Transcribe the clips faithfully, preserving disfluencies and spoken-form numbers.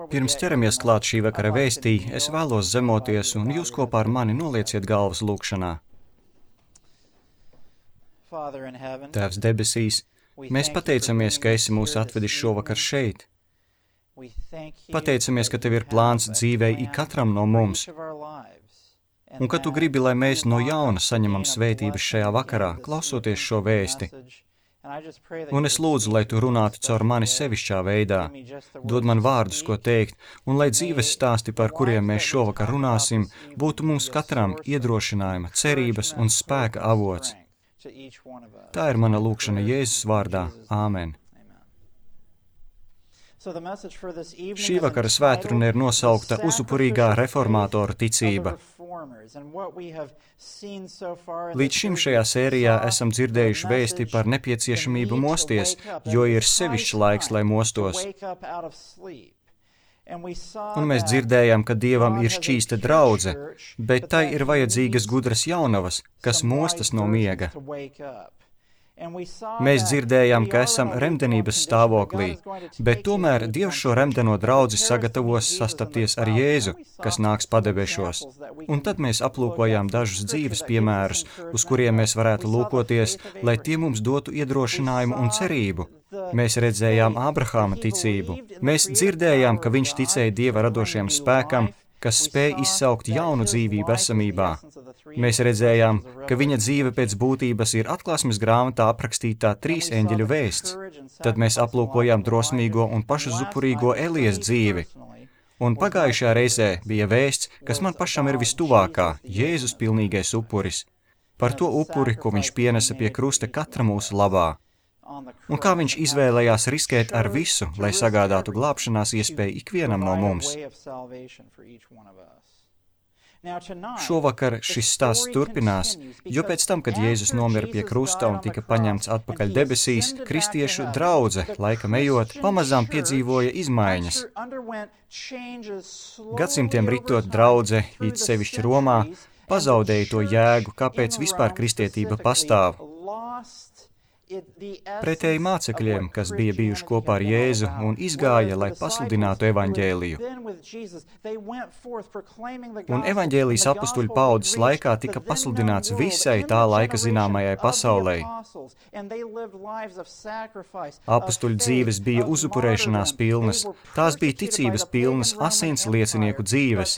Pirms ķeramies klāt šī vakara vēstī, es vēlos zemoties, un jūs kopā ar mani nolieciet galvas lūkšanā. Tēvs debesīs, mēs pateicamies, ka esi mūs atvedis šovakar šeit. Pateicamies, ka tev ir plāns dzīvei ikatram no mums, un ka tu gribi, lai mēs no jauna saņemam svētības šajā vakarā, klausoties šo vēsti. Un es lūdzu, lai tu runātu caur mani sevišķā veidā, dod man vārdus, ko teikt, un lai dzīves stāsti, par kuriem mēs šovakar runāsim, būtu mums katram iedrošinājuma, cerības un spēka avots. Tā ir mana lūkšana Jēzus vārdā. Āmen. Šī vakara svētruna ir nosaukta Uzupurīgā reformātoru ticība. Līdz šim šajā sērijā esam dzirdējuši vēsti par nepieciešamību mosties, jo ir sevišķs laiks, lai mostos. Un mēs dzirdējām, ka Dievam ir šķīsta draudze, bet tai ir vajadzīgas gudras jaunavas, kas mostas no miega. Mēs dzirdējām, ka esam remdenības stāvoklī, bet tomēr Dievs šo remdeno draudzi sagatavos sastapties ar Jēzu, kas nāks padebešos. Un tad mēs aplūkojām dažus dzīves piemērus, uz kuriem mēs varētu lūkoties, lai tie mums dotu iedrošinājumu un cerību. Mēs redzējām Ābrahāma ticību. Mēs dzirdējām, ka viņš ticēja Dieva radošajam spēkam, kas spēj izsaukt jaunu dzīvību esamībā. Mēs redzējām, ka viņa dzīve pēc būtības ir Atklāsmes grāmatā aprakstītā trīs eņģeļu vēsts. Tad mēs aplūkojām drosmīgo un pašuzupurīgo Elijas dzīvi. Un pagājušajā reizē bija vēsts, kas man pašam ir vistuvākā, Jēzus pilnīgais upuris. Par to upuri, ko viņš pienesa pie krusta katra mūsu labā. Un kā viņš izvēlējās riskēt ar visu, lai sagādātu glābšanās iespēju ikvienam no mums. Šovakar šis stāsts turpinās, jo pēc tam, kad Jēzus nomira pie krusta un tika paņemts atpakaļ debesīs, kristiešu draudze, laikam ejot, pamazām piedzīvoja izmaiņas. Gadsimtiem ritot draudze, it sevišķi Romā, pazaudēja to jēgu, kāpēc vispār kristietība pastāv. Pretēji mācekļiem, kas bija bijuši kopā ar Jēzu un izgāja, lai pasludinātu evaņģēliju. Un evaņģēlijas apustuļu paudzes laikā tika pasludināts visai tā laika zināmajai pasaulē. Apustuļu dzīves bija uzupurēšanās pilnas, tās bija ticības pilnas asins liecinieku dzīves.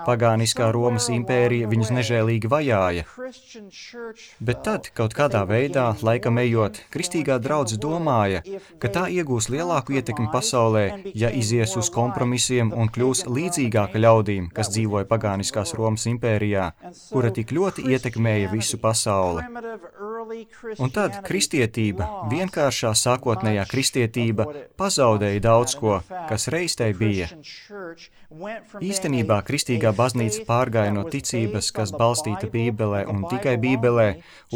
Pagāniskā Romas impērija viņus nežēlīgi vajāja. Bet tad, kaut kādā veidā, laikam ejot, kristīgā draudze domāja, ka tā iegūs lielāku ietekmi pasaulē, ja izies uz kompromisiem un kļūs līdzīgāka ļaudīm, kas dzīvoja pagāniskās Romas impērijā, kura tik ļoti ietekmēja visu pasauli. Un tad kristietība, vienkāršā sākotnējā kristietība, pazaudēja daudz ko, kas reiz tai bija. Īstenībā kristīgā baznīca pārgāja no ticības, kas balstīta Bībelē un tikai Bībelē,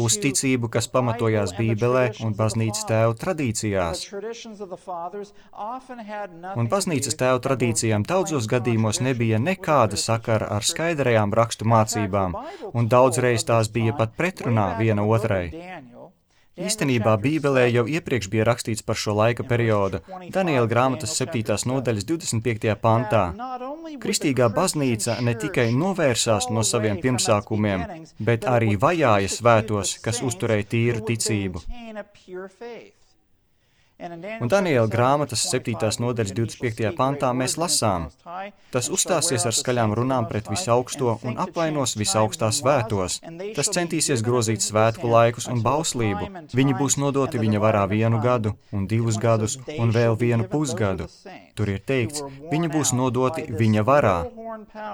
uz ticību, kas pamatojās Bībelē un baznīcas tēvu tradīcijās. Un baznīcas tēvu tradīcijām daudzos gadījumos nebija nekāda sakara ar skaidrajām rakstu mācībām, un daudzreiz tās bija pat pretrunā viena otrai. Īstenībā Bībelē jau iepriekš bija rakstīts par šo laika periodu, Daniela grāmatas septītās nodaļas divdesmit piektajā pantā. Kristīgā baznīca ne tikai novērsās no saviem pirmsākumiem, bet arī vajāja svētos, kas uzturēja tīru ticību. Un Daniela grāmatas septītās nodaļas divdesmit piektajā pantā mēs lasām: tas uzstāsies ar skaļām runām pret visaugsto un apvainos visaugstā svētos. Tas centīsies grozīt svētku laikus un bauslību. Viņi būs nodoti viņa varā vienu gadu, un divus gadus, un vēl vienu pusgadu. Tur ir teikts, viņi būs nodoti viņa varā.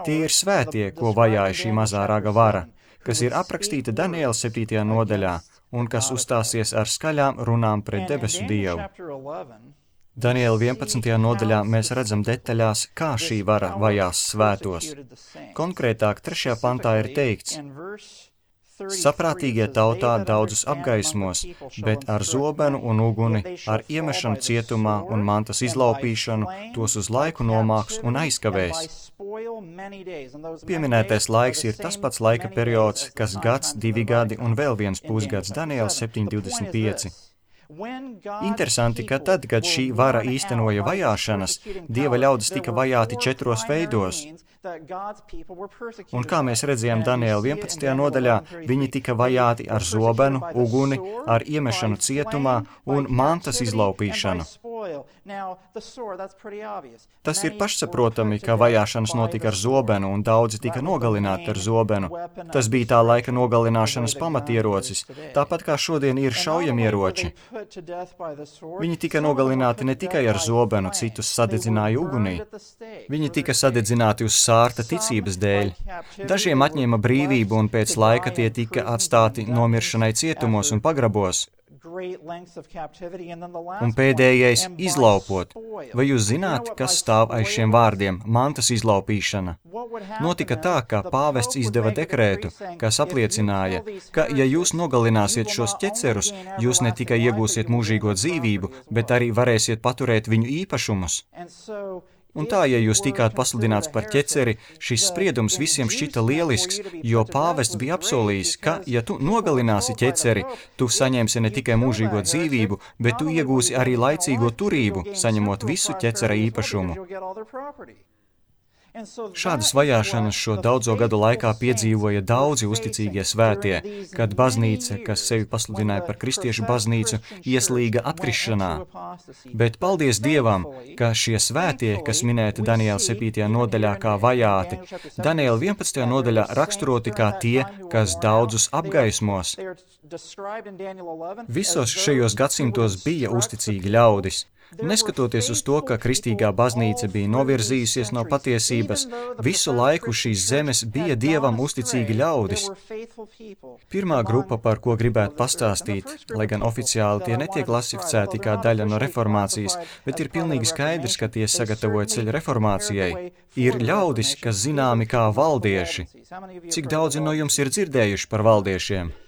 Tie ir svētie, ko vajāja šī mazā raga vara, kas ir aprakstīta Daniela septītajā nodaļā, un kas uzstāsies ar skaļām runām pret debesu Dievu. Daniela vienpadsmitajā nodaļā mēs redzam detaļās, kā šī vara vajās svētos. Konkrētāk, trešajā pantā ir teikts: saprātīgie tautā daudzus apgaismos, bet ar zobenu un uguni, ar iemešanu cietumā un mantas izlaupīšanu, tos uz laiku nomāks un aizkavēs. Pieminētais laiks ir tas pats laika periods, kas gads, divi gadi un vēl viens pusgads, Daniela septiņi divdesmit pieci. Interesanti, ka tad, kad šī vara īstenoja vajāšanas, Dieva ļaudis tika vajāti četros veidos. Un kā mēs redzējām Daniela vienpadsmitajā nodaļā, viņi tika vajāti ar zobenu, uguni, ar iemešanu cietumā un mantas izlaupīšanu. Tas ir pašsaprotami, ka vajāšanas notika ar zobenu un daudzi tika nogalināti ar zobenu. Tas bija tā laika nogalināšanas pamatierocis, tāpat kā šodien ir šaujamieroči. Viņi tika nogalināti ne tikai ar zobenu, citus sadedzināja ugunī. Viņi tika sadedzināti uz sārta ticības dēļ. Dažiem atņēma brīvību un pēc laika tie tika atstāti nomiršanai cietumos un pagrabos. Un pēdējais - izlaupot. Vai jūs zināt, kas stāv aiz šiem vārdiem - mantas izlaupīšana? Notika tā, ka pāvests izdeva dekrētu, kas apliecināja, ka, ja jūs nogalināsiet šos ķecerus, jūs ne tikai iegūsiet mūžīgo dzīvību, bet arī varēsiet paturēt viņu īpašumus. Un tā, ja jūs tikāt pasludināts par ķeceri, šis spriedums visiem šķita lielisks, jo pāvests bija apsolījis, ka, ja tu nogalināsi ķeceri, tu saņemsi ne tikai mūžīgo dzīvību, bet tu iegūsi arī laicīgo turību, saņemot visu ķecera īpašumu. Šādas vajāšanas šo daudzo gadu laikā piedzīvoja daudzi uzticīgie svētie, kad baznīca, kas sevi pasludināja par kristiešu baznīcu, ieslīga atkrišanā. Bet paldies Dievam, ka šie svētie, kas minēti Daniela septītajā nodaļā kā vajāti, Daniela vienpadsmitajā nodaļā raksturoti kā tie, kas daudzus apgaismos. Visos šajos gadsimtos bija uzticīgi ļaudis. Neskatoties uz to, ka kristīgā baznīca bija novirzījusies no patiesības, visu laiku šīs zemes bija Dievam uzticīgi ļaudis. Pirmā grupa, par ko gribētu pastāstīt, lai gan oficiāli tie netiek klasificēti kā daļa no reformācijas, bet ir pilnīgi skaidrs, ka tie sagatavoja ceļu reformācijai, ir ļaudis, kas zināmi kā valdieši. Cik daudzi no jums ir dzirdējuši par valdiešiem?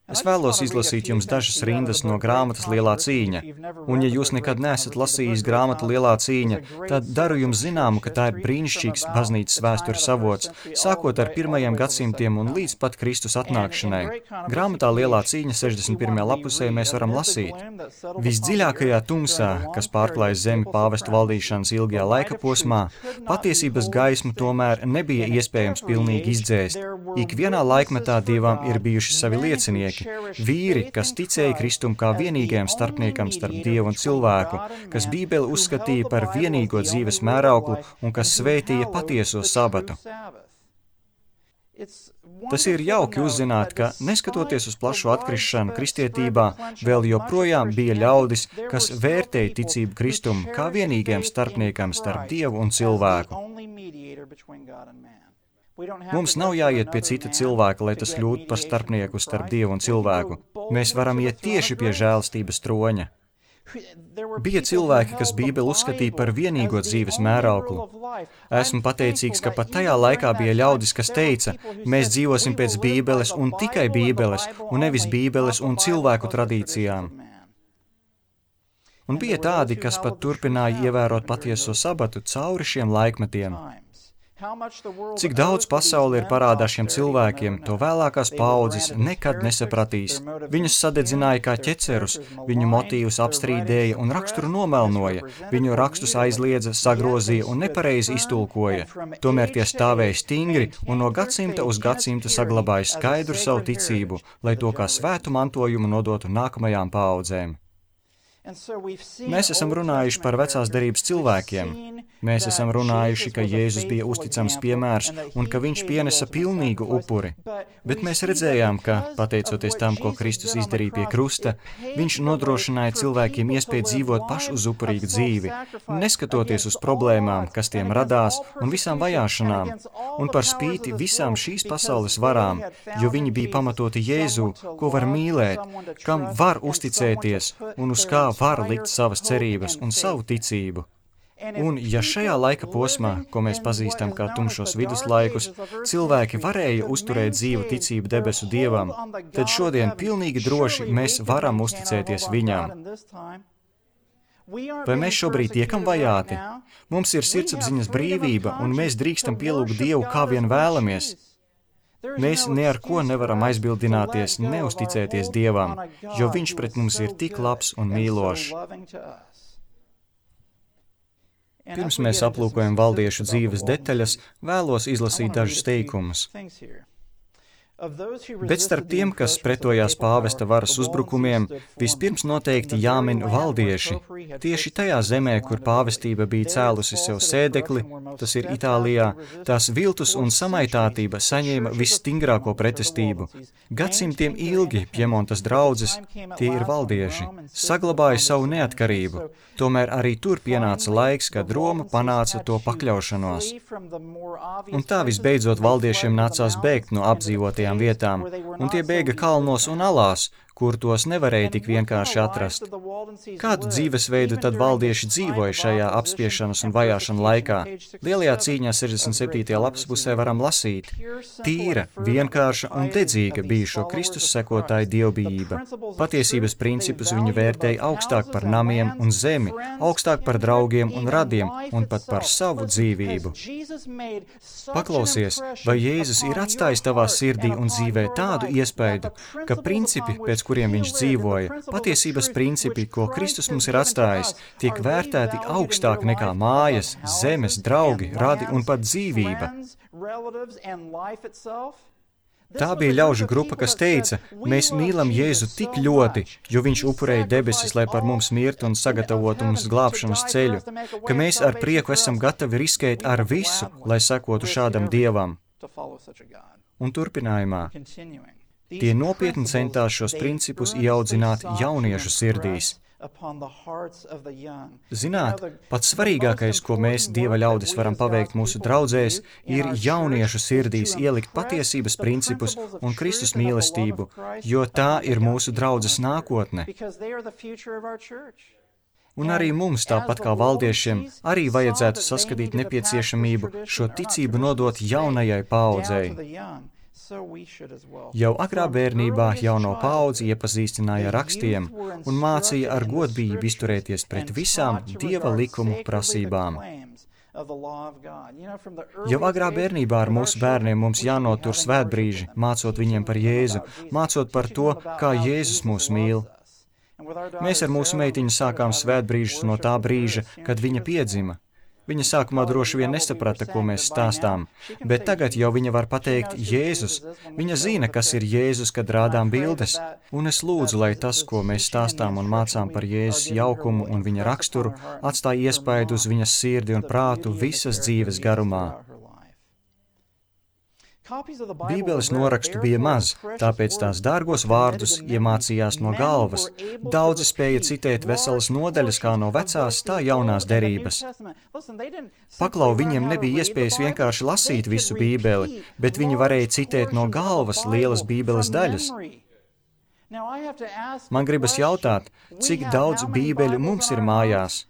Es vēlos izlasīt jums dažas rindas no grāmatas Lielā cīņa, un ja jūs nekad neesat lasījis grāmatu Lielā cīņa, tad daru jums zināmu, ka tā ir brīnišķīgs baznīcas vēstures avots, sākot ar pirmajiem gadsimtiem un līdz pat Kristus atnākšanai. Grāmatā Lielā cīņa sešdesmit pirmajā lapusē mēs varam lasīt. Visdziļākajā tumsā, kas pārklāja zemi pāvestu valdīšanas ilgajā laika posmā, patiesības gaismu tomēr nebija iespējams pilnīgi izdzēst. Ik vienā laikmetā Dievam ir bijuši savi liecinieki. Vīri, kas ticēja Kristum kā vienīgajam starpniekam starp Dievu un cilvēku, kas Bībeli uzskatīja par vienīgo dzīves mērauklu un kas svētīja patieso sabatu. Tas ir jauki uzzināt, ka, neskatoties uz plašu atkrišanu kristietībā, vēl joprojām bija ļaudis, kas vērtēja ticību Kristum kā vienīgajam starpniekam starp Dievu un cilvēku. Mums nav jāiet pie cita cilvēka, lai tas kļūtu par starpnieku starp Dievu un cilvēku. Mēs varam iet tieši pie žēlstības troņa. Bija cilvēki, kas Bībeli uzskatīja par vienīgo dzīves mērauklu. Esmu pateicīgs, ka pat tajā laikā bija ļaudis, kas teica, mēs dzīvosim pēc Bībeles un tikai Bībeles, un nevis Bībeles un cilvēku tradīcijām. Un bija tādi, kas pat turpināja ievērot patieso sabatu cauri šiem laikmetiem. Cik daudz pasaule ir parādā šiem cilvēkiem, to vēlākās paaudzes nekad nesapratīs. Viņus sadedzināja kā ķecerus, viņu motīvus apstrīdēja un raksturu nomelnoja, viņu rakstus aizliedza, sagrozīja un nepareizi iztulkoja. Tomēr tie stāvēja stingri un no gadsimta uz gadsimta saglabāja skaidru savu ticību, lai to kā svētu mantojumu nodotu nākamajām paaudzēm. Mēs esam runājuši par vecās derības cilvēkiem. Mēs esam runājuši, ka Jēzus bija uzticams piemērs un ka viņš pienesa pilnīgu upuri. Bet mēs redzējām, ka, pateicoties tam, ko Kristus izdarīja pie krusta, viņš nodrošināja cilvēkiem iespēju dzīvot pašu uz upurīgu dzīvi, neskatoties uz problēmām, kas tiem radās, un visām vajāšanām, un par spīti visām šīs pasaules varām, jo viņi bija pamatoti Jēzu, ko var mīlēt, kam var uzticēties un uz kā var likt savas cerības un savu ticību. Un, ja šajā laika posmā, ko mēs pazīstam kā tumšos viduslaikus, cilvēki varēja uzturēt dzīvu ticību debesu Dievam, tad šodien pilnīgi droši mēs varam uzticēties Viņam. Vai mēs šobrīd tiekam vajāti? Mums ir sirdsapziņas brīvība, un mēs drīkstam pielūgt Dievu, kā vien vēlamies. Mēs ne ar ko nevaram aizbildināties, neusticēties Dievam, jo Viņš pret mums ir tik labs un mīlošs. Pirms mēs aplūkojam valdiešu dzīves detaļas, vēlos izlasīt dažus teikumus. Bet starp tiem, kas pretojās pāvesta varas uzbrukumiem, vispirms noteikti jāmin valdieši. Tieši tajā zemē, kur pāvestība bija cēlusi sev sēdekli, tas ir Itālijā, tās viltus un samaitātība saņēma visstingrāko pretestību. Gadsimtiem ilgi Pjemontas draudzes, tie ir valdieši, saglabāja savu neatkarību. Tomēr arī tur pienāca laiks, kad Roma panāca to pakļaušanos. Un tā visbeidzot valdiešiem nācās bēgt no apdzīvotajām vietām, un tie bēga kalnos un alās, kur tos nevarēja tik vienkārši atrast. Kādu dzīvesveidu tad valdieši dzīvoja šajā apspiešanas un vajāšana laikā? Lielajā cīņā sešdesmit septītajā lapas pusē varam lasīt: tīra, vienkārša un dedzīga bija šo Kristus sekotāju dievbijība. Patiesības principus viņi vērtēja augstāk par namiem un zemi, augstāk par draugiem un radiem un pat par savu dzīvību. Paklausies, vai Jēzus ir atstājis tavā sirdī un dzīvē tādu iespaidu, ka principi, pēc kuriem viņš dzīvoja, patiesības principi, ko Kristus mums ir atstājis, tiek vērtēti augstāk nekā mājas, zemes, draugi, radi un pat dzīvība. Tā bija ļaužu grupa, kas teica: mēs mīlam Jēzu tik ļoti, jo viņš upurēja debesis, lai par mums mirtu un sagatavotu mums glābšanas ceļu, ka mēs ar prieku esam gatavi riskēt ar visu, lai sekotu šādam Dievam. Un turpinājumā: tie nopietni centās šos principus ieaudzināt jauniešu sirdīs. Zināt, pats svarīgākais, ko mēs, Dieva ļaudis, varam paveikt mūsu draudzēs, ir jauniešu sirdīs ielikt patiesības principus un Kristus mīlestību, jo tā ir mūsu draudzes nākotne. Un arī mums, tāpat kā valdiešiem, arī vajadzētu saskatīt nepieciešamību šo ticību nodot jaunajai paaudzei. Jau agrā bērnībā jauno paudzi iepazīstināja ar rakstiem un mācīja ar godbijību izturēties pret visām Dieva likumu prasībām. Jau agrā bērnībā ar mūsu bērniem mums jānotur svētbrīži, mācot viņiem par Jēzu, mācot par to, kā Jēzus mūs mīl. Mēs ar mūsu meitiņu sākām svētbrīžus no tā brīža, kad viņa piedzima. Viņa sākumā droši vien nesaprata, ko mēs stāstām, bet tagad jau viņa var pateikt Jēzus. Viņa zina, kas ir Jēzus, kad rādām bildes, un es lūdzu, lai tas, ko mēs stāstām un mācām par Jēzus jaukumu un viņa raksturu, atstāja iespaidu uz viņas sirdi un prātu visas dzīves garumā. Bībeles norakstu bija maz, tāpēc tās dārgos vārdus iemācījās no galvas. Daudzi spēja citēt veselas nodaļas kā no vecās, tā jaunās derības. Paklau, viņiem nebija iespējas vienkārši lasīt visu Bībeli, bet viņi varēja citēt no galvas lielas Bībeles daļas. Man gribas jautāt, cik daudz Bībeļu mums ir mājās?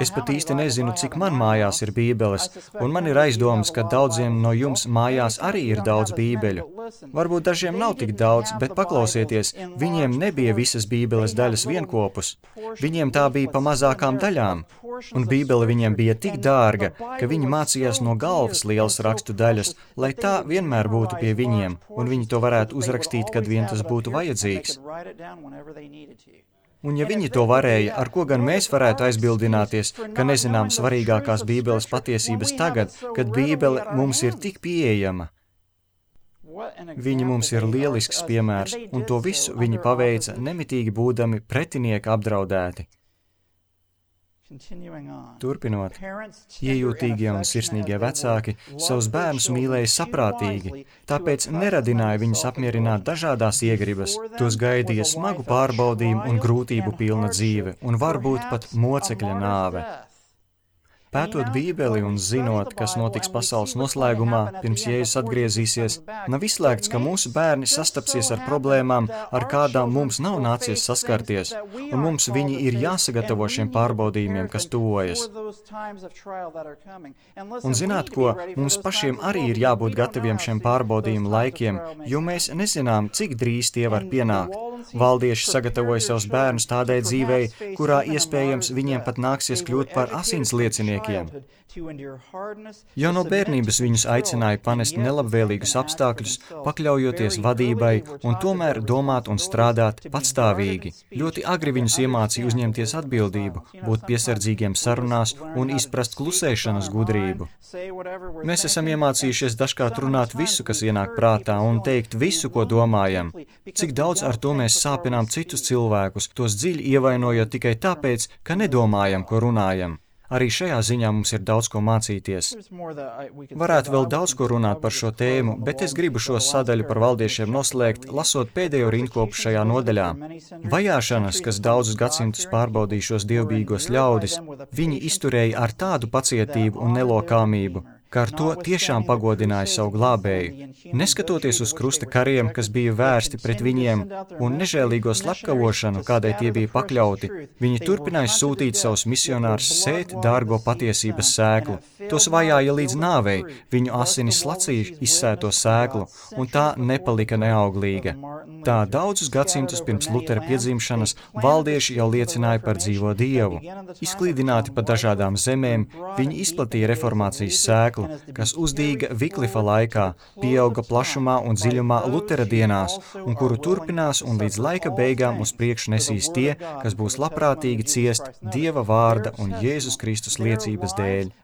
Es pat īsti nezinu, cik man mājās ir bībeles, un man ir aizdomas, ka daudziem no jums mājās arī ir daudz bībeļu. Varbūt dažiem nav tik daudz, bet paklausieties, viņiem nebija visas bībeles daļas vienkopus. Viņiem tā bija pa mazākām daļām, un bībele viņiem bija tik dārga, ka viņi mācījās no galvas lielas rakstu daļas, lai tā vienmēr būtu pie viņiem, un viņi to varētu uzrakstīt, kad vien tas būtu vajadzīgs. Un ja viņi to varēja, ar ko gan mēs varētu aizbildināties, ka nezinām svarīgākās Bībeles patiesības tagad, kad Bībele mums ir tik pieejama? Viņi mums ir lielisks piemērs, un to visu viņi paveica nemitīgi būdami pretinieka apdraudēti. Turpinot, iejūtīgie un sirsnīgie vecāki savus bērnus mīlēja saprātīgi, tāpēc neradināja viņus apmierināt dažādās iegribas, tos gaidīja smagu pārbaudījumu un grūtību pilna dzīve, un varbūt pat mocekļa nāve. Pētot Bībeli un zinot, kas notiks pasaules noslēgumā, pirms Jēzus atgriezīsies, nav izslēgts, ka mūsu bērni sastapsies ar problēmām, ar kādām mums nav nācies saskarties, un mums viņi ir jāsagatavo šiem pārbaudījumiem, kas tuvojas. Un zināt ko, mums pašiem arī ir jābūt gataviem šiem pārbaudījumu laikiem, jo mēs nezinām, cik drīz tie var pienākt. Valdieši sagatavoja savus bērnus tādai dzīvei, kurā iespējams viņiem pat nāksies kļūt par asinslieciniekiem, cilvēkiem. Jau no bērnības viņus aicināja panest nelabvēlīgus apstākļus, pakļaujoties vadībai un tomēr domāt un strādāt patstāvīgi. Ļoti agri viņus iemācīja uzņemties atbildību, būt piesardzīgiem sarunās un izprast klusēšanas gudrību. Mēs esam iemācījušies dažkārt runāt visu, kas ienāk prātā, un teikt visu, ko domājam. Cik daudz ar to mēs sāpinām citus cilvēkus, tos dziļi ievainojot tikai tāpēc, ka nedomājam, ko runājam. Arī šajā ziņā mums ir daudz ko mācīties. Varētu vēl daudz ko runāt par šo tēmu, bet es gribu šo sadaļu par valdiešiem noslēgt, lasot pēdējo rindkopu šajā nodaļā. Vajāšanas, kas daudzus gadsimtus pārbaudīja šos dievbijīgos ļaudis, viņi izturēja ar tādu pacietību un nelokāmību, ka ar to tiešām pagodināja savu glābēju. Neskatoties uz krusta kariem, kas bija vērsti pret viņiem, un nežēlīgo slepkavošanu, kādai tie bija pakļauti, viņi turpināja sūtīt savus misionārus sēt dārgo patiesības sēklu. Tos vajāja līdz nāvei, viņu asinis slacīja izsēto sēklu, un tā nepalika neauglīga. Tā daudzus gadsimtus pirms Lutera piedzimšanas valdieši jau liecināja par dzīvo Dievu. Izklīdināti pa dažādām zemēm, viņi izplatīja reformācijas sēklu, kas uzdīga Viklifa laikā, pieauga plašumā un dziļumā Lutera dienās, un kuru turpinās un līdz laika beigām uz priekšu nesīs tie, kas būs labprātīgi ciest Dieva vārda un Jēzus Kristus liecības dēļ.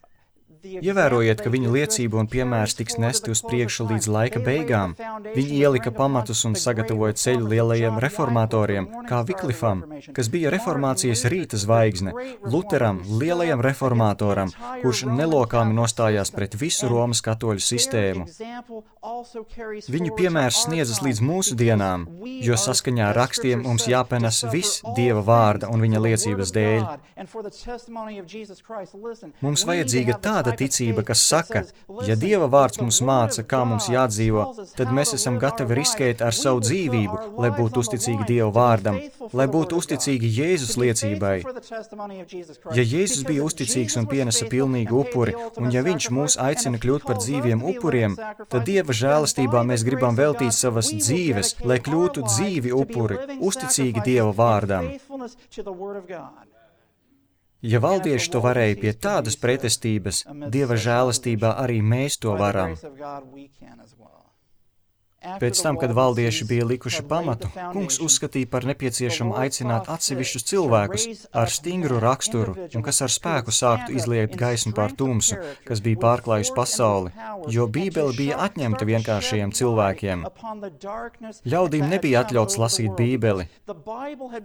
Ievērojiet, ka viņa liecība un piemērs tiks nesti uz priekšu līdz laika beigām. Viņi ielika pamatus un sagatavoja ceļu lielajiem reformatoriem, kā Viklifam, kas bija reformācijas rīta zvaigzne, Luteram, lielajam reformatoram, kurš nelokāmi nostājās pret visu Romas katoļu sistēmu. Viņu piemērs sniedzas līdz mūsu dienām, jo saskaņā ar rakstiem mums jāpenas viss Dieva vārda un viņa liecības dēļ. Mums vajadzīga tāda ticība, kas saka, ja Dieva vārds mums māca, kā mums jādzīvo, tad mēs esam gatavi riskēt ar savu dzīvību, lai būtu uzticīgi Dieva vārdam, lai būtu uzticīgi Jēzus liecībai. Ja Jēzus bija uzticīgs un pienesa pilnīgu upuri, un ja viņš mūs aicina kļūt par dzīviem upuriem, tad Dieva žēlastībā mēs gribam veltīt savas dzīves, lai kļūtu dzīvi upuri, uzticīgi Dieva vārdam. Ja valdieši to varēja pie tādas pretestības, Dieva žēlastībā arī mēs to varam. Pēc tam, kad valdieši bija likuši pamatu, kungs uzskatīja par nepieciešamu aicināt atsevišķus cilvēkus ar stingru raksturu un kas ar spēku sāktu izliekt gaismu pār tumsu, kas bija pārklājusi pasauli, jo Bībele bija atņemta vienkāršajiem cilvēkiem. Ļaudīm nebija atļauts lasīt Bībeli.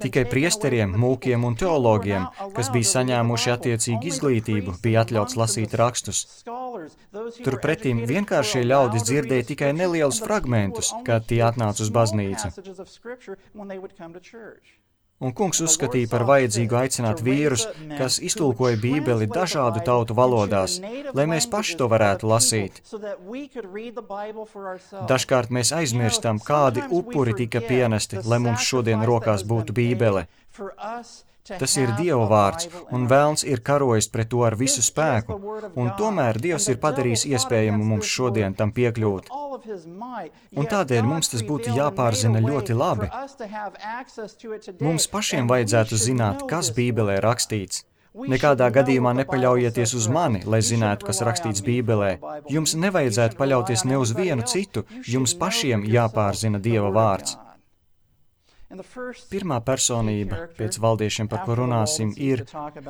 Tikai priesteriem, mūkiem un teologiem, kas bija saņēmuši attiecīgu izglītību, bija atļauts lasīt rakstus. Turpretīm vienkāršie ļaudis dzirdēja tikai nelielus fragmentus, kad tie atnāca uz baznīcu. Un kungs uzskatīja par vajadzīgu aicināt vīrus, kas iztulkoja Bībeli dažādu tautu valodās, lai mēs paši to varētu lasīt. Dažkārt mēs aizmirstam, kādi upuri tika pienesti, lai mums šodien rokās būtu Bībele. Tas ir Dieva vārds, un velns ir karojis pret to ar visu spēku, un tomēr Dievs ir padarījis iespējamu mums šodien tam piekļūt. Un tādēļ mums tas būtu jāpārzina ļoti labi. Mums pašiem vajadzētu zināt, kas Bībelē rakstīts. Nekādā gadījumā nepaļaujieties uz mani, lai zinātu, kas rakstīts Bībelē. Jums nevajadzētu paļauties ne uz vienu citu, jums pašiem jāpārzina Dieva vārds. Pirmā personība, pēc valdiešiem, par ko runāsim, ir,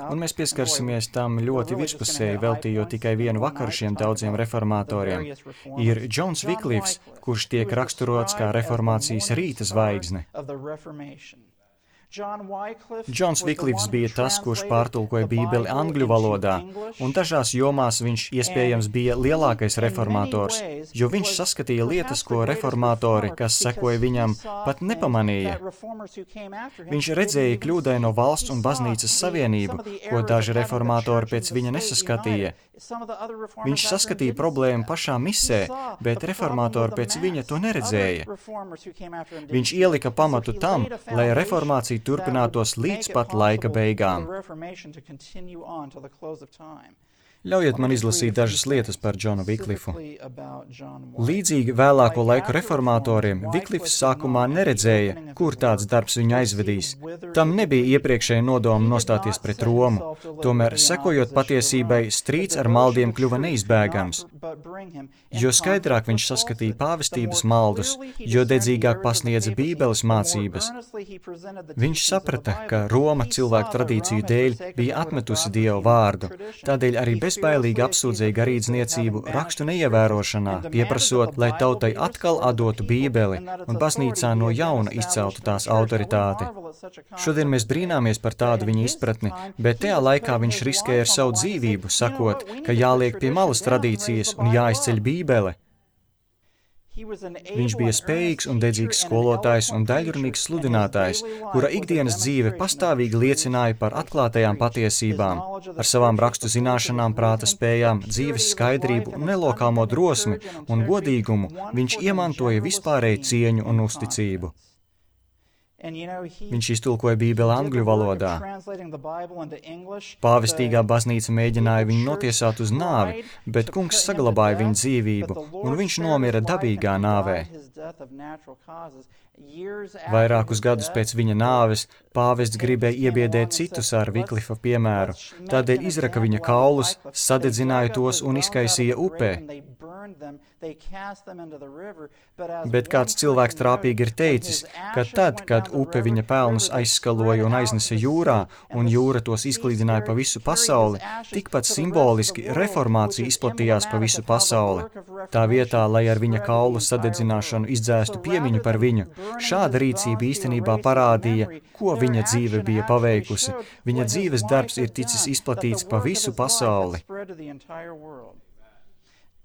un mēs pieskarsimies tam ļoti virspusēji, veltījot tikai vienu vakaru šiem daudziem reformatoriem, ir Džons Viklifs, kurš tiek raksturots kā reformācijas rīta zvaigzne. Džons Viklifs bija tas, kurš pārtulkoja Bībeli angļu valodā, un dažās jomās viņš iespējams bija lielākais reformators, jo viņš saskatīja lietas, ko reformatori, kas sekoja viņam, pat nepamanīja. Viņš redzēja kļūdaino valsts un baznīcas savienību, ko daži reformatori pēc viņa nesaskatīja. Viņš saskatīja problēmu pašā misē, bet reformatori pēc viņa to neredzēja. Viņš ielika pamatu tam, lai reformācija turpinātos līdz pat laika beigām. Ļaujiet man izlasīt dažas lietas par Džonu Viklifu. Līdzīgi vēlāko laiku reformatoriem, Viklifs sākumā neredzēja, kur tāds darbs viņu aizvedīs. Tam nebija iepriekšēja nodoma nostāties pret Romu. Tomēr, sekojot patiesībai, strīds ar maldiem kļuva neizbēgams. Jo skaidrāk viņš saskatīja pāvestības maldus, jo dedzīgāk pasniedza Bībeles mācības. Viņš saprata, ka Roma cilvēku tradīciju dēļ bija atmetusi Dievu vārdu, tādēļ arī bezbailīgi apsūdzēja garīdzniecību rakstu neievērošanā, pieprasot, lai tautai atkal atdotu Bībeli un baznīcā no jauna izceltu tās autoritāti. Šodien mēs brīnāmies par tādu viņa izpratni, bet tajā laikā viņš riskēja ar savu dzīvību, sakot, ka jāliek pie malas tradīcijas un jāizceļ Bībele. Viņš bija spējīgs un dedzīgs skolotājs un daļrunīgs sludinātājs, kura ikdienas dzīve pastāvīgi liecināja par atklātajām patiesībām. Ar savām rakstu zināšanām, prāta spējām, dzīves skaidrību, nelokāmo drosmi un godīgumu viņš iemantoja vispārēju cieņu un uzticību. Viņš iztulkoja Bībeli angļu valodā. Pāvestīgā baznīca mēģināja viņu notiesāt uz nāvi, bet kungs saglabāja viņu dzīvību, un viņš nomira dabīgā nāvē. Vairākus gadus pēc viņa nāves pāvests gribēja iebiedēt citus ar Viklifa piemēru, tādēļ izraka viņa kaulus, sadedzināja tos un izkaisīja upē. Bet kāds cilvēks trāpīgi ir teicis, ka tad, kad upe viņa pelnus aizskaloja un aiznesa jūrā, un jūra tos izklīdināja pa visu pasauli, tikpat simboliski reformācija izplatījās pa visu pasauli. Tā vietā, lai ar viņa kaulu sadedzināšanu izdzēstu piemiņu par viņu, šāda rīcība īstenībā parādīja, ko viņa dzīve bija paveikusi. Viņa dzīves darbs ir ticis izplatīts pa visu pasauli.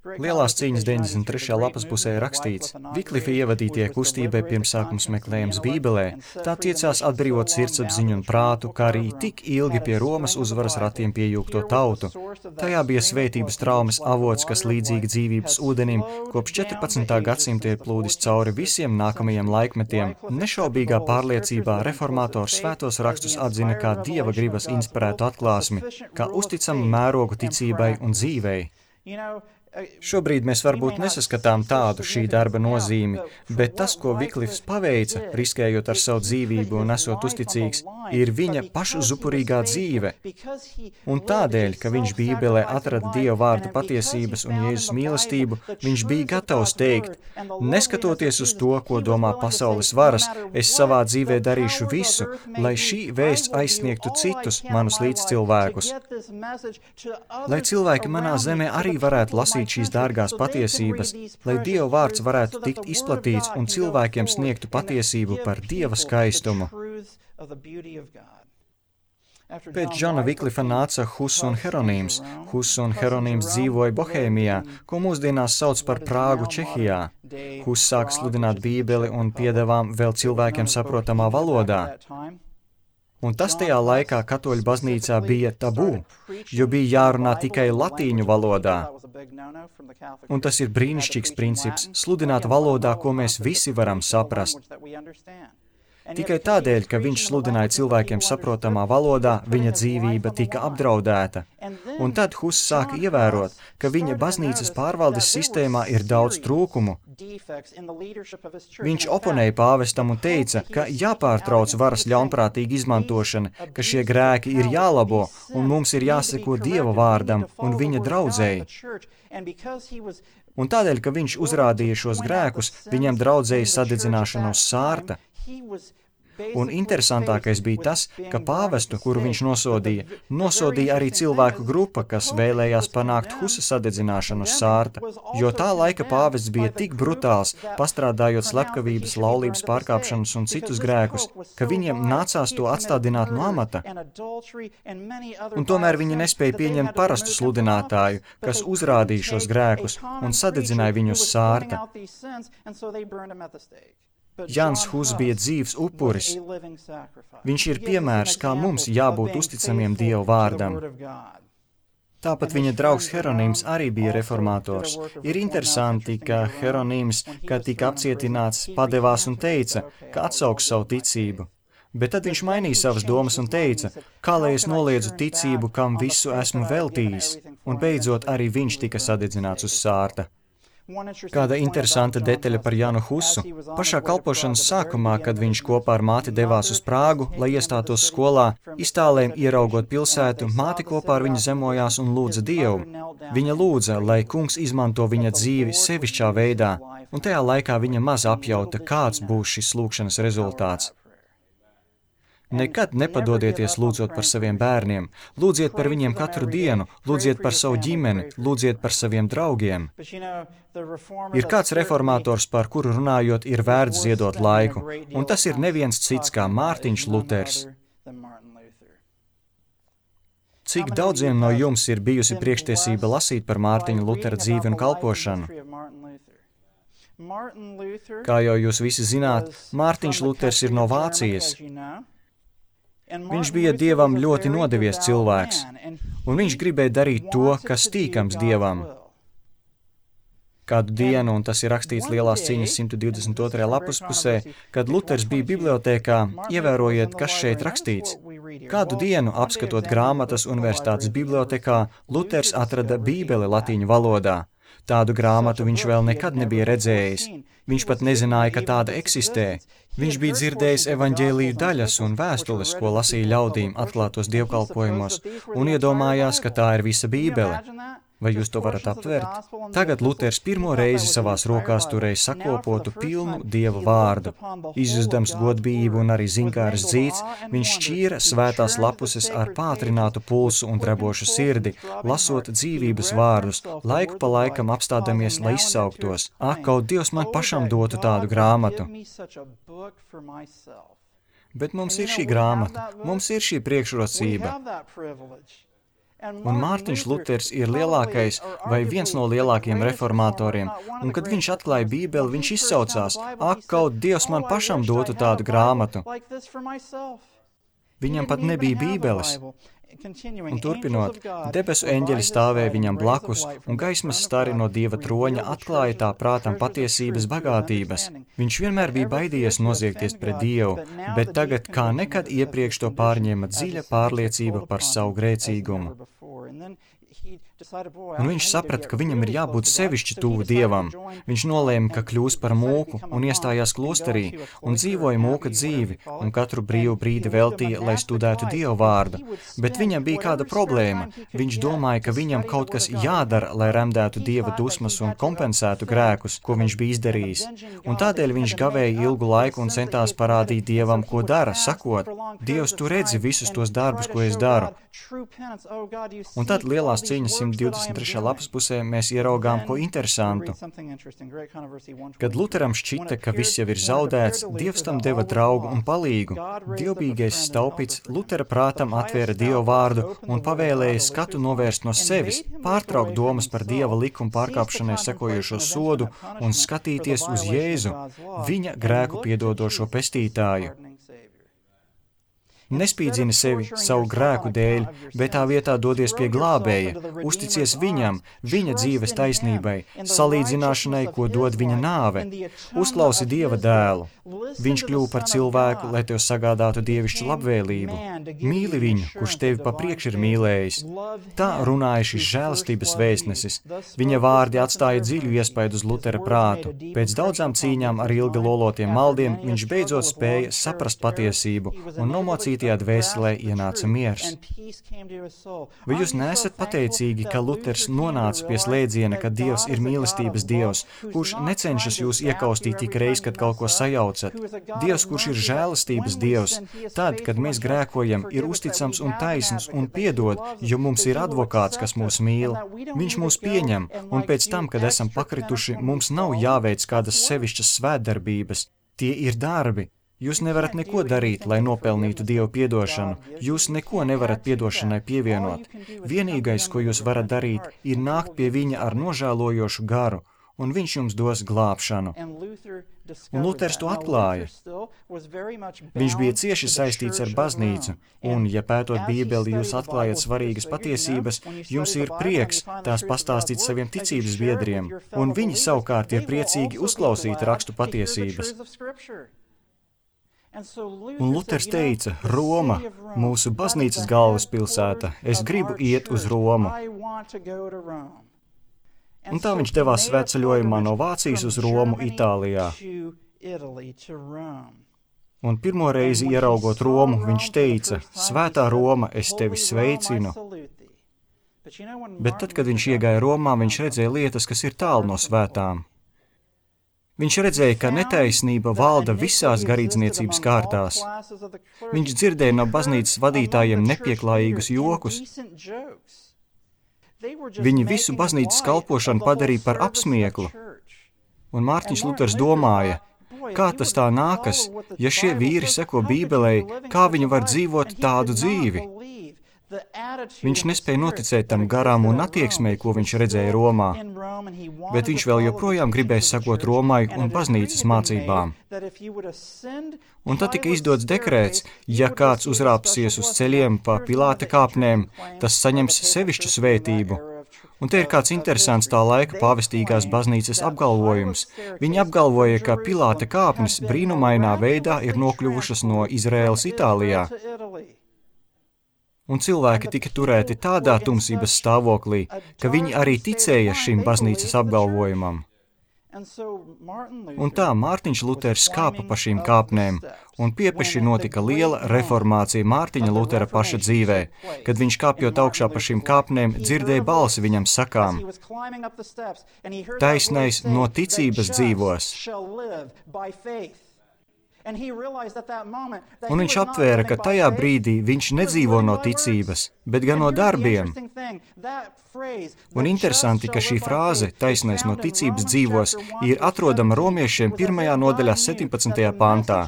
Lielās cīņas deviņdesmit trešajā lapas pusē rakstīts: Viklifa ievadītie kustībai pirmsākums meklējums Bībelē, tā tiecās atbrīvot sirdsapziņu un prātu, kā arī tik ilgi pie Romas uzvaras ratiem piejūgto tautu. Tajā bija svētības traumas avots, kas līdzīgi dzīvības ūdenim kopš četrpadsmitā gadsimta ir plūdis cauri visiem nākamajiem laikmetiem. Nešaubīgā pārliecībā reformators svētos rakstus atzina kā Dieva gribas inspirētu atklāsmi, kā uzticamu mērogu ticībai un dzīvei. Šobrīd mēs varbūt nesaskatām tādu šī darba nozīmi, bet tas, ko Viklifs paveica, riskējot ar savu dzīvību un esot uzticīgs, ir viņa pašu zupurīgā dzīve. Un tādēļ, ka viņš Bībelē atrada Dieva vārda patiesības un Jēzus mīlestību, viņš bija gatavs teikt: neskatoties uz to, ko domā pasaules varas, es savā dzīvē darīšu visu, lai šī vēsts aizsniegtu citus, manus līdzcilvēkus. Lai cilvēki manā zemē arī varētu lasīt šīs dārgās patiesības, lai Dieva vārds varētu tikt izplatīts un cilvēkiem sniegtu patiesību par Dieva skaistumu. Pēc Džona Viklifa nāca Huss un Heronīms. Huss un Heronīms dzīvoja Bohēmijā, ko mūsdienās sauc par Prāgu Čehijā. Huss sāka sludināt Bībeli un piedevām vēl cilvēkiem saprotamā valodā. Un tas tajā laikā katoļu baznīcā bija tabū, jo bija jārunā tikai latīņu valodā. Un tas ir brīnišķīgs princips – sludināt valodā, ko mēs visi varam saprast. Tikai tādēļ, ka viņš sludināja cilvēkiem saprotamā valodā, viņa dzīvība tika apdraudēta. Un tad Huss sāka ievērot, ka viņa baznīcas pārvaldes sistēmā ir daudz trūkumu. Viņš oponēja pāvestam un teica, ka jāpārtrauc varas ļaunprātīga izmantošana, ka šie grēki ir jālabo un mums ir jāseko Dieva vārdam un viņa draudzēji. Un tādēļ, ka viņš uzrādīja šos grēkus, viņam draudzēja sadedzināšanu uz sārta. Un interesantākais bija tas, ka pāvestu, kuru viņš nosodīja, nosodīja arī cilvēku grupa, kas vēlējās panākt Husa sadedzināšanu uz sārta, jo tā laika pāvests bija tik brutāls, pastrādājot slepkavības, laulības pārkāpšanas un citus grēkus, ka viņiem nācās to atstādināt no amata. Un tomēr viņi nespēja pieņemt parastu sludinātāju, kas uzrādīja šos grēkus un sadedzināja viņu uz sārta. Jans Huss bija dzīvs upuris. Viņš ir piemērs, kā mums jābūt uzticamiem Dieva vārdam. Tāpat viņa draugs Heronīms arī bija reformators. Ir interesanti, ka Heronīms, kad tika apcietināts, padevās un teica, ka atsauks savu ticību. Bet tad viņš mainīja savas domas un teica, kā lai es noliedzu ticību, kam visu esmu veltījis, un beidzot arī viņš tika sadedzināts uz sārta. Kāda interesanta detaļa par Janu Husu. Pašā kalpošanas sākumā, kad viņš kopā ar māti devās uz Prāgu, lai iestātos skolā, iztālēm ieraugot pilsētu, māte kopā ar viņu zemojās un lūdza Dievu. Viņa lūdza, lai kungs izmanto viņa dzīvi sevišķā veidā, un tajā laikā viņa maz apjauta, kāds būs šis lūkšanas rezultāts. Nekad nepadodieties lūdzot par saviem bērniem, lūdziet par viņiem katru dienu, lūdziet par savu ģimeni, lūdziet par saviem draugiem. Ir kāds reformātors, par kuru runājot, ir vērts ziedot laiku, un tas ir neviens cits kā Mārtiņš Luters. Cik daudziem no jums ir bijusi priekštiesība lasīt par Mārtiņa Lutera dzīvi un kalpošanu? Kā jau jūs visi zināt, Mārtiņš Luters ir no Vācijas. Viņš bija Dievam ļoti nodevies cilvēks, un viņš gribēja darīt to, kas tīkams Dievam. Kādu dienu, un tas ir rakstīts Lielās cīņas simt divdesmit otrajā lapas pusē, kad Luters bija bibliotēkā, ievērojiet, kas šeit rakstīts. Kādu dienu, apskatot grāmatas universitātes bibliotekā, Luters atrada Bībeli latīņu valodā. Tādu grāmatu viņš vēl nekad nebija redzējis. Viņš pat nezināja, ka tāda eksistē. Viņš bija dzirdējis evaņģēliju daļas un vēstules, ko lasīja ļaudīm atklātos dievkalpojumos, un iedomājās, ka tā ir visa Bībele. Vai jūs to varat aptvert? Tagad Luters pirmo reizi savās rokās turēja sakopotu pilnu Dieva vārdu. Izjustams godbijību un arī zinkāras dzīts, viņš šķīra svētās lapuses ar pātrinātu pulsu un drebošu sirdi, lasot dzīvības vārdus, laiku pa laikam apstādamies, lai izsauktos. Ak, kaut Dievs man pašam dotu tādu grāmatu. Bet mums ir šī grāmata, mums ir šī priekšrocība. Un Mārtiņš Luters ir lielākais vai viens no lielākajiem reformatoriem, un kad viņš atklāja Bībeli, viņš izsaucās, ak, kaut Dievs man pašam dotu tādu grāmatu. Viņam pat nebija Bībeles. Un turpinot, debesu eņģeļi stāvēja viņam blakus, un gaismas stari no Dieva troņa atklāja tā prātam patiesības bagātības. Viņš vienmēr bija baidījies noziegties pret Dievu, bet tagad kā nekad iepriekš to pārņēma dziļa pārliecība par savu grēcīgumu. Un viņš saprata, ka viņam ir jābūt sevišķi tuvu Dievam. Viņš nolēma, ka kļūs par mūku un iestājās klosterī un dzīvoja mūka dzīvi un katru brīvu brīdi veltīja, lai studētu Dievu vārdu. Bet viņam bija kāda problēma. Viņš domāja, ka viņam kaut kas jādara, lai remdētu Dieva dusmas un kompensētu grēkus, ko viņš bija izdarījis. Un tādēļ viņš gavēja ilgu laiku un centās parādīt Dievam, ko dara, sakot, Dievs, tu redzi visus tos darbus, ko es daru. Un tad Lielās cīņas simt divdesmit trešajā lapas pusē mēs ieraugām ko interesantu. Kad Luteram šķita, ka viss jau ir zaudēts, Dievs tam deva draugu un palīgu. Dievbijīgais staupits Lutera prātam atvēra Dievu vārdu un pavēlēja skatu novērst no sevis, pārtraukt domas par Dieva likumu pārkāpšanai sekojošo sodu un skatīties uz Jēzu, viņa grēku piedodošo pestītāju. Nespīdzini sevi savu grēku dēļ, bet tā vietā dodies pie glābēja, uzticies viņam, viņa dzīves taisnībai, salīdzināšanai, ko dod viņa nāve. Uzklausi Dieva dēlu. Viņš kļuva par cilvēku, lai tev sagādātu dievišķu labvēlību. Mīli viņu, kurš tevi pa priekš ir mīlējis. Tā runāja šis žēlastības vēstnesis. Viņa vārdi atstāja dziļu iespaidu uz Lutera prātu. Pēc daudzām cīņām ar ilgi lolotiem maldiem viņš beidzot spēja saprast patiesību un nomocītajā dvēselē ienāca miers. Vai jūs neesat pateicīgi, ka Luters nonāca pie slēdziena, ka Dievs ir mīlestības Dievs, kurš necenšas jūs iekaustīt tik reiz, kad kaut ko sajaucat? Dievs, kurš ir žēlastības Dievs, tad, kad mēs grēkojam, ir uzticams un taisns un piedod, jo mums ir advokāts, kas mūs mīl. Viņš mūs pieņem, un pēc tam, kad esam pakrituši, mums nav jāveic kādas sevišķas svētdarbības. Tie ir darbi. Jūs nevarat neko darīt, lai nopelnītu Dievu piedošanu. Jūs neko nevarat piedošanai pievienot. Vienīgais, ko jūs varat darīt, ir nākt pie viņa ar nožēlojošu garu, un viņš jums dos glābšanu. Un Luters to atklāja. Viņš bija cieši saistīts ar baznīcu, un, ja pētot Bībeli, jūs atklājat svarīgas patiesības, jums ir prieks tās pastāstīt saviem ticības biedriem, un viņi savukārt ir priecīgi uzklausīt rakstu patiesības. Un Luters teica, Roma, mūsu baznīcas galvaspilsēta, es gribu iet uz Romu. Un tā viņš devās svētceļojumā no Vācijas uz Romu, Itālijā. Un pirmo reizi ieraugot Romu, viņš teica, Svētā Roma, es tevi sveicinu. Bet tad, kad viņš iegāja Romā, viņš redzēja lietas, kas ir tālu no svētām. Viņš redzēja, ka netaisnība valda visās garīdzniecības kārtās. Viņš dzirdēja no baznīcas vadītājiem nepieklājīgus jokus. Viņi visu baznīcas kalpošanu padarīja par apsmieklu. Un Mārtiņš Luters domāja, kā tas tā nākas, ja šie vīri seko Bībelei, kā viņi var dzīvot tādu dzīvi? Viņš nespēja noticēt tam garām un attieksmei, ko viņš redzēja Romā, bet viņš vēl joprojām gribēja sekot Romai un baznīcas mācībām. Un tad tika izdots dekrēts, ja kāds uzrāpsies uz ceļiem pa Pilāta kāpnēm, tas saņems sevišķu svētību. Un te ir kāds interesants tā laika pāvestīgās baznīcas apgalvojums. Viņi apgalvoja, ka Pilāta kāpnes brīnumainā veidā ir nokļuvušas no Izraēlas Itālijā. Un cilvēki tika turēti tādā tumsības stāvoklī, ka viņi arī ticēja šim baznīcas apgalvojumam. Un tā Mārtiņš Luters kāpa pa šīm kāpnēm, un piepeši notika liela reformācija Mārtiņa Lutera paša dzīvē, kad viņš kāpjot augšā pa šīm kāpnēm dzirdēja balsi viņam sakām, taisnais no ticības dzīvos. Un viņš aptvēra, ka tajā brīdī viņš nedzīvo no ticības, bet gan no darbiem. Un interesanti, ka šī frāze, taisnais no ticības dzīvos, ir atrodama romiešiem pirmajā nodaļā septiņpadsmitajā pantā.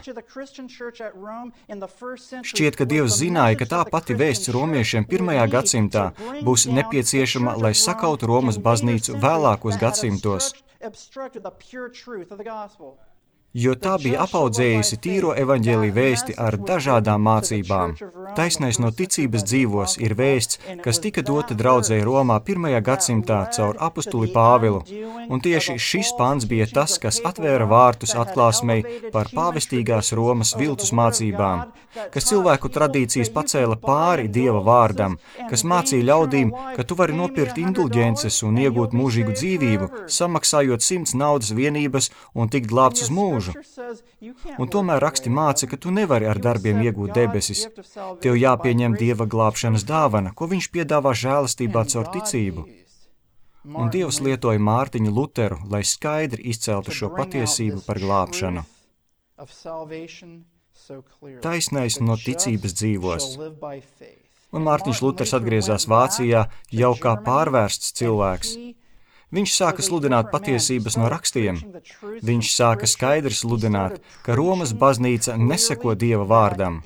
Šķiet, ka Dievs zināja, ka tā pati vēsts romiešiem pirmajā gadsimtā būs nepieciešama, lai sakautu Romas baznīcu vēlākos gadsimtos. Jo tā bija apaudzējusi tīro evaņģēliju vēsti ar dažādām mācībām. Taisnais no ticības dzīvos ir vēsts, kas tika dota draudzei Romā pirmajā gadsimtā caur apustuli Pāvilu, un tieši šis pants bija tas, kas atvēra vārtus atklāsmei par pāvestīgās Romas viltus mācībām, kas cilvēku tradīcijas pacēla pāri Dieva vārdam, kas mācīja ļaudīm, ka tu vari nopirkt indulģences un iegūt mūžīgu dzīvību, samaksājot simts naudas vienības un tikt glābts uz mūžu. Un tomēr raksti māca, ka tu nevari ar darbiem iegūt debesis. Tev jāpieņem Dieva glābšanas dāvana, ko viņš piedāvā žēlastībā caur ticību. Un Dievs lietoja Mārtiņu Luteru, lai skaidri izceltu šo patiesību par glābšanu. Taisnais no ticības dzīvos. Un Mārtiņš Luters atgriezās Vācijā jau kā pārvērsts cilvēks. Viņš sāka sludināt patiesības no rakstiem. Viņš sāka skaidri sludināt, ka Romas baznīca neseko Dieva vārdam.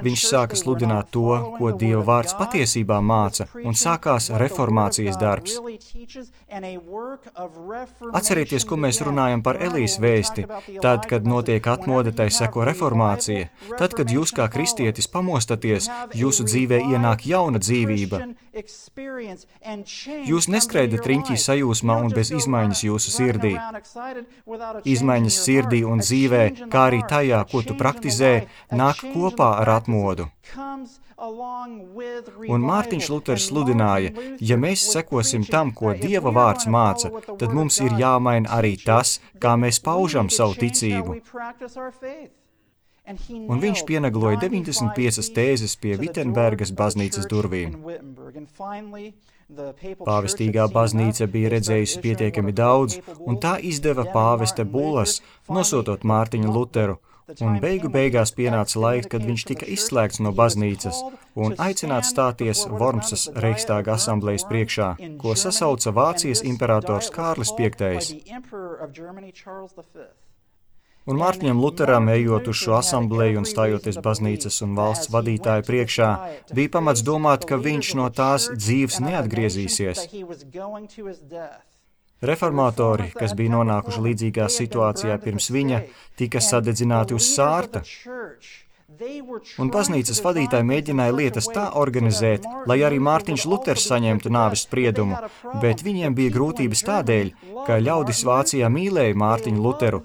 Viņš sāka sludināt to, ko Dieva vārds patiesībā māca, un sākās reformācijas darbs. Atcerieties, ko mēs runājam par Elijas vēsti. Tad, kad notiek atmoda, tai seko reformācija. Tad, kad jūs kā kristietis pamostaties, jūsu dzīvē ienāk jauna dzīvība. Jūs neskrēdat riņķī sajūsmā un bez izmaiņas jūsu sirdī. Izmaiņas sirdī un dzīvē, kā arī tajā, ko tu praktizē, nāk kopā ar atmodu. Un Mārtiņš Luters sludināja, ja mēs sekosim tam, ko Dieva vārds māca, tad mums ir jāmaina arī tas, kā mēs paužam savu ticību. Un viņš pienagloja deviņdesmit piecas tēzes pie Vitenbergas baznīcas durvīm. Pāvestīgā baznīca bija redzējusi pietiekami daudz, un tā izdeva pāvesta bulas, nosūtot Mārtiņu Luteru, un beigu beigās pienāca laiks, kad viņš tika izslēgts no baznīcas un aicināts stāties Vormsas Reichstāga asamblejas priekšā, ko sasauca Vācijas imperators Kārlis piektais. Un Mārtiņam Luteram, ejot uz šo asambleju un stājoties baznīcas un valsts vadītāju priekšā, bija pamats domāt, ka viņš no tās dzīves neatgriezīsies. Reformatori, kas bija nonākuši līdzīgā situācijā pirms viņa, tika sadedzināti uz sārta. Un baznīcas vadītāji mēģināja lietas tā organizēt, lai arī Mārtiņš Luters saņemtu nāves spriedumu, bet viņiem bija grūtības tādēļ, ka ļaudis Vācijā mīlēja Mārtiņu Luteru.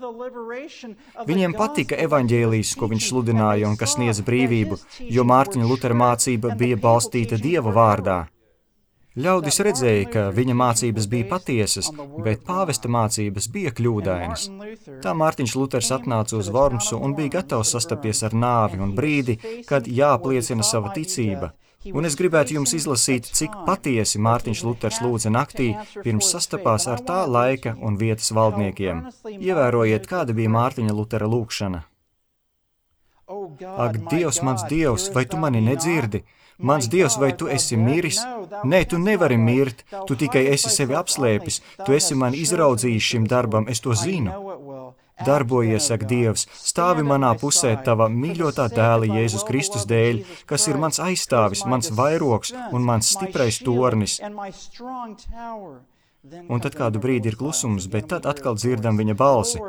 Viņiem patika evaņģēlijs, ko viņš sludināja un kas sniedza brīvību, jo Mārtiņa Lutera mācība bija balstīta Dieva vārdā. Ļaudis redzēja, ka viņa mācības bija patiesas, bet pāvesta mācības bija kļūdainas. Tā Mārtiņš Luters atnāca uz Vormsu un bija gatavs sastapties ar nāvi un brīdi, kad jāapliecina sava ticība. Un es gribētu jums izlasīt, cik patiesi Mārtiņš Luters lūdza naktī, pirms sastapās ar tā laika un vietas valdniekiem. Ievērojiet, kāda bija Mārtiņa Lutera lūkšana. Ak, Dievs, mans Dievs, vai tu mani nedzirdi? Mans Dievs, vai tu esi miris? Nē, tu nevari mirt, tu tikai esi sevi apslēpis, tu esi mani izraudzījis šim darbam, es to zinu. Darbojies, ak, Dievs, stāvi manā pusē tava mīļotā dēla Jēzus Kristus dēļ, kas ir mans aizstāvis, mans vairogs un mans stiprais tornis. Un tad kādu brīdi ir klusums, bet tad atkal dzirdam viņa balsi.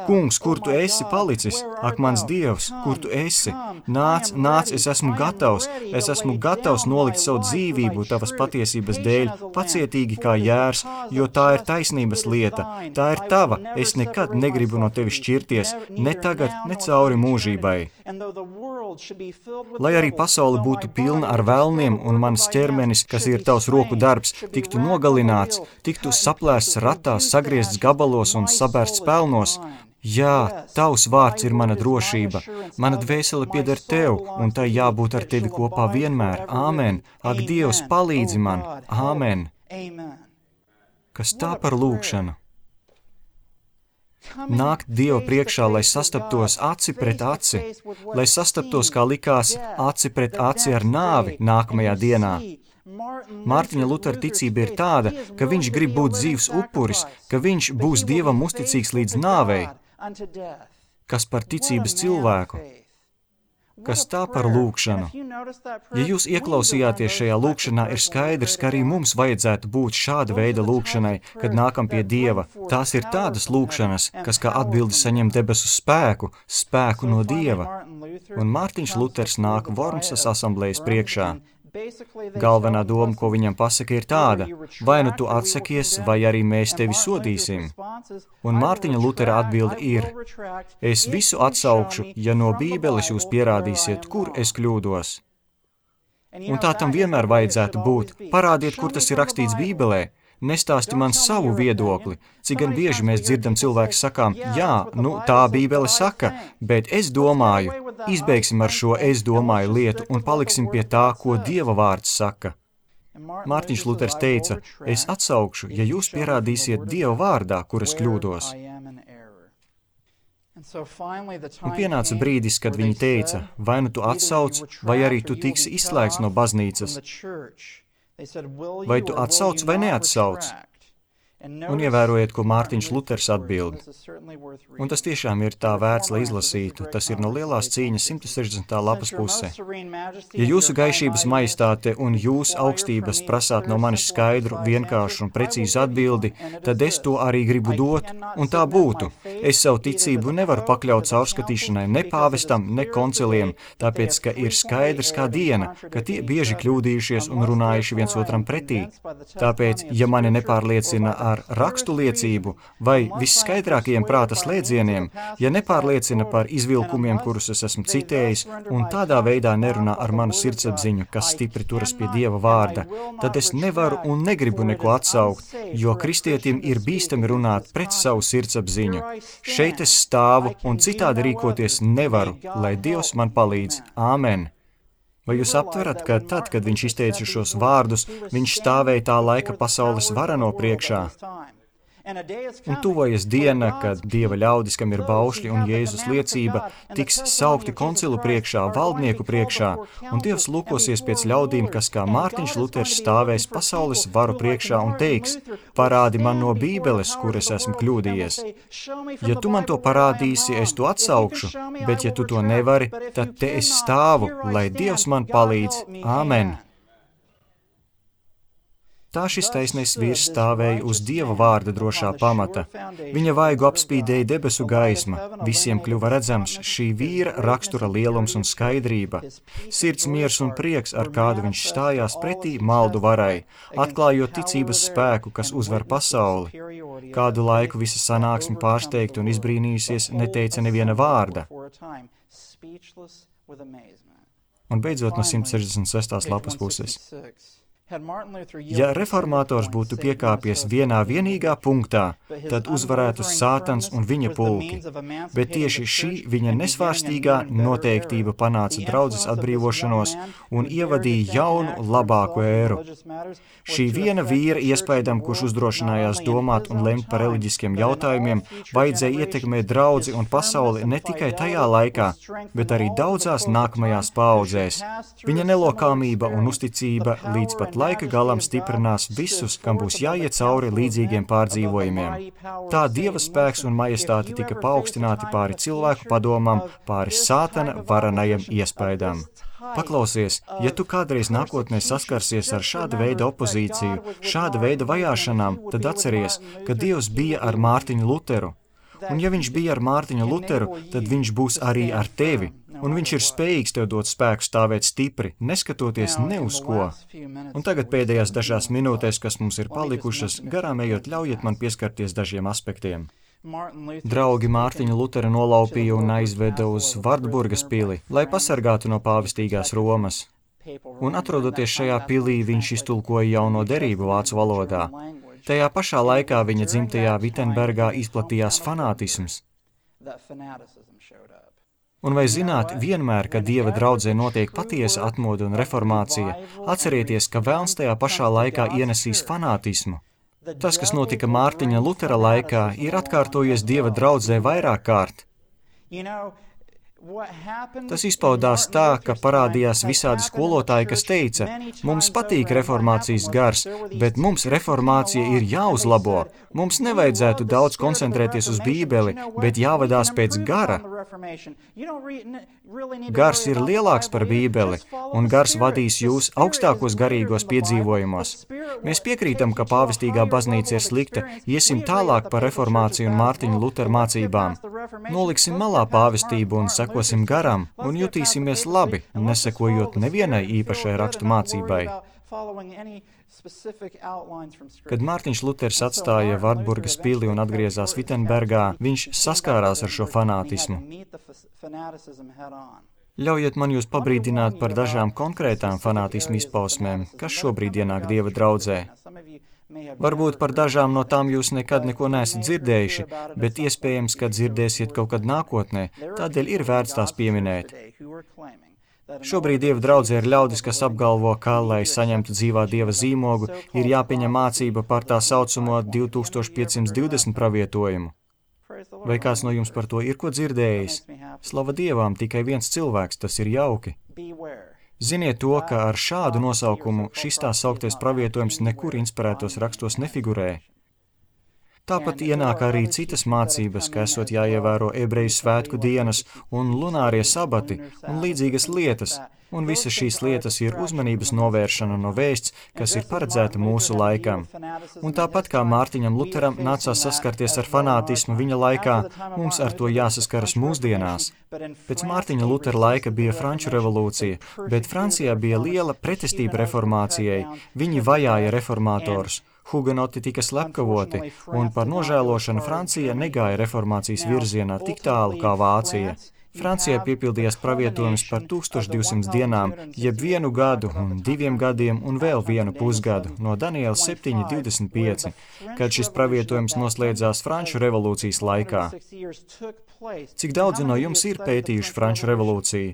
Kungs, kur tu esi palicis? Ak, mans Dievs, kur tu esi? Nāc, nāc, es esmu gatavs, es esmu gatavs nolikt savu dzīvību tavas patiesības dēļ, pacietīgi kā jērs, jo tā ir taisnības lieta, tā ir tava, es nekad negribu no tevis šķirties, ne tagad, ne cauri mūžībai. Lai arī pasaule būtu pilna ar velniem un mans ķermenis, kas ir tavs roku darbs, tiktu nogalināts, tiktu saplēsts ratās, sagriezts gabalos un sabērsts pelnos. Jā, tavs vārds ir mana drošība, mana dvēsele pieder tev, un tai jābūt ar tevi kopā vienmēr. Āmen. Ak, Dievs, palīdzi man. Āmen. Kas tā par lūkšanu? Nākt Dieva priekšā, lai sastaptos aci pret aci, lai sastaptos, kā likās, aci pret aci ar nāvi nākamajā dienā. Mārtiņa Lutera ticība ir tāda, ka viņš grib būt dzīvs upuris, ka viņš būs Dievam uzticīgs līdz nāvei. Kas par ticības cilvēku? Kas tā par lūkšanu? Ja jūs ieklausījāties šajā lūkšanā, ir skaidrs, ka arī mums vajadzētu būt šāda veida lūkšanai, kad nākam pie Dieva. Tās ir tādas lūkšanas, kas kā atbildi saņem debesu spēku, spēku no Dieva. Un Mārtiņš Luters nāk Vormsas asamblējas priekšā. Galvenā doma, ko viņam pasaka, ir tāda, vai nu tu atsakies, vai arī mēs tevi sodīsim. Un Mārtiņa Lutera atbilde ir, es visu atsaukšu, ja no Bībeles jūs pierādīsiet, kur es kļūdos. Un tā tam vienmēr vajadzētu būt. Parādiet, kur tas ir rakstīts Bībelē. Nestāsti man savu viedokli, cik gan bieži mēs dzirdam cilvēku sakām, jā, nu tā Bībele saka, bet es domāju, izbeigsim ar šo es domāju lietu un paliksim pie tā, ko Dieva vārds saka. Mārtiņš Luters teica, es atsaukšu, ja jūs pierādīsiet Dieva vārdā, kur es kļūdos. Un pienāca brīdis, kad viņi teica, vai nu tu atsauc, vai arī tu tiksi izslēgts no baznīcas. Vai tu atsauc vai neatsauc? Un ievērojiet, ko Mārtiņš Luters atbild. Un tas tiešām ir tā vērts, lai izlasītu. Tas ir no lielās cīņas simt sešdesmitā lapas puse. Ja jūsu gaišības majestāte un jūs augstības prasāt no manis skaidru, vienkāršu un precīzu atbildi, tad es to arī gribu dot, un tā būtu. Es savu ticību nevaru pakļaut caurskatīšanai ne pāvestam, ne konciliem, tāpēc, ka ir skaidrs kā diena, ka tie bieži kļūdījušies un runājuši viens otram pretī. Tāpēc, ja mani nepārliecina ar rakstu liecību vai visskaidrākajiem prāta slēdzieniem, ja nepārliecina par izvilkumiem, kurus es esmu citējis, un tādā veidā nerunā ar manu sirdsapziņu, kas stipri turas pie Dieva vārda, tad es nevaru un negribu neko atsaukt, jo kristietim ir bīstami runāt pret savu sirdsapziņu. Šeit es stāvu un citādi rīkoties nevaru, lai Dievs man palīdz. Āmen! Vai jūs aptverat, ka tad, kad viņš izteica šos vārdus, viņš stāvēja tā laika pasaules varano priekšā? Un tuvojas diena, kad Dieva ļaudis, kam ir baušļi un Jēzus liecība, tiks saukti koncilu priekšā, valdnieku priekšā, un Dievs lūkosies pēc ļaudīm, kas kā Mārtiņš Luters stāvēs pasaules varu priekšā un teiks, parādi man no Bībeles, kur es esmu kļūdījies. Ja tu man to parādīsi, es to atsaukšu, bet ja tu to nevari, tad te es stāvu, lai Dievs man palīdz. Āmen! Tā šis taisnais vīrs stāvēja uz Dieva vārda drošā pamata. Viņa vaigu apspīdēja debesu gaisma, visiem kļuva redzams šī vīra rakstura lielums un skaidrība. Sirds miers un prieks, ar kādu viņš stājās pretī maldu varai, atklājot ticības spēku, kas uzvar pasauli. Kādu laiku visa sanāksme pārsteigta un izbrīnījusies neteica neviena vārda. Un beidzot no simt sešdesmit sestās lapas puses. Ja reformātors būtu piekāpies vienā vienīgā punktā, tad uzvarētu Sātans un viņa pulki, bet tieši šī viņa nesvārstīgā noteiktība panāca draudzes atbrīvošanos un ievadīja jaunu, labāku ēru. Šī viena vīra iespaidam, kurš uzdrošinājās domāt un lemt par reliģiskiem jautājumiem, vajadzēja ietekmēt draudzi un pasauli ne tikai tajā laikā, bet arī daudzās nākamajās paaudzēs. Viņa nelokāmība un uzticība līdz pat laika galam stiprinās visus, kam būs jāiet cauri līdzīgiem pārdzīvojumiem. Tā Dieva spēks un majestāte tika paaugstināti pāri cilvēku padomam, pāri Sātana varanajam iespaidam. Paklausies, ja tu kādreiz nākotnē saskarsies ar šāda veida opozīciju, šāda veida vajāšanām, tad atceries, ka Dievs bija ar Mārtiņu Luteru. Un ja viņš bija ar Mārtiņu Luteru, tad viņš būs arī ar tevi. Un viņš ir spējīgs tev dot spēku stāvēt stipri, neskatoties ne uz ko. Un tagad pēdējās dažās minūtēs, kas mums ir palikušas, garām ejot, ļaujiet man pieskarties dažiem aspektiem. Draugi Mārtiņu Lutera nolaupīja un aizveda uz Vardburgas pili, lai pasargātu no pāvestīgās Romas. Un atrodoties šajā pilī, viņš iztulkoja jauno derību vācu valodā. Tajā pašā laikā viņa dzimtajā Vitenbergā izplatījās fanātisms. Un vai zināt, vienmēr, kad Dieva draudzē notiek patiesa atmoda un reformācija, atcerieties, ka velns tajā pašā laikā ienesīs fanātismu. Tas, kas notika Mārtiņa Lutera laikā, ir atkārtojies Dieva draudzē vairāk kārt. Tas izpaudās tā, ka parādījās visādi skolotāji, kas teica, mums patīk reformācijas gars, bet mums reformācija ir jāuzlabo. Mums nevajadzētu daudz koncentrēties uz Bībeli, bet jāvadās pēc gara. Gars ir lielāks par Bībeli, un gars vadīs jūs augstākos garīgos piedzīvojumos. Mēs piekrītam, ka pāvestīgā baznīca ir slikta, iesim tālāk par reformāciju un Mārtiņu Luteru mācībām. Noliksim malā pāvestību un sekosim garam, un jutīsimies labi, nesekojot nevienai īpašai rakstu mācībai. Kad Mārtiņš Luters atstāja Vardburgas pili un atgriezās Vitenbergā, viņš saskārās ar šo fanātismu. Ļaujiet man jūs pabrīdināt par dažām konkrētām fanātismu izpausmēm, kas šobrīd ienāk Dieva draudzē. Varbūt par dažām no tām jūs nekad neko neesat dzirdējuši, bet iespējams, ka dzirdēsiet kaut kad nākotnē, tādēļ ir vērts tās pieminēt. Šobrīd Dieva draudzē ir ļaudis, kas apgalvo, ka, lai saņemtu dzīvā Dieva zīmogu, ir jāpieņem mācība par tā saucamo divi tūkstoši piecsimt divdesmit pravietojumu. Vai kāds no jums par to ir ko dzirdējis? Slava Dievam, tikai viens cilvēks, tas ir jauki. Ziniet to, ka ar šādu nosaukumu šis tā sauktais pravietojums nekur inspirētos rakstos nefigurē. Tāpat ienāk arī citas mācības, ka esot jāievēro ebreju svētku dienas un lunārie sabati un līdzīgas lietas, un visas šīs lietas ir uzmanības novēršana no vēsts, kas ir paredzēta mūsu laikam. Un tāpat kā Mārtiņam Luteram nācās saskarties ar fanātismu viņa laikā, mums ar to jāsaskaras mūsdienās. Pēc Mārtiņa Lutera laika bija Franču revolūcija, bet Francijā bija liela pretestība reformācijai, viņi vajāja reformātorus. Hugenoti tika slepkavoti, un par nožēlošanu Francija negāja reformācijas virzienā tik tālu kā Vācija. Francijā piepildījās pravietojums par tūkstoš divsimt dienām, jeb vienu gadu un diviem gadiem un vēl vienu pusgadu no Daniela septiņi divdesmit pieci, kad šis pravietojums noslēdzās Franču revolūcijas laikā. Cik daudzi no jums ir pētījuši Franču revolūciju?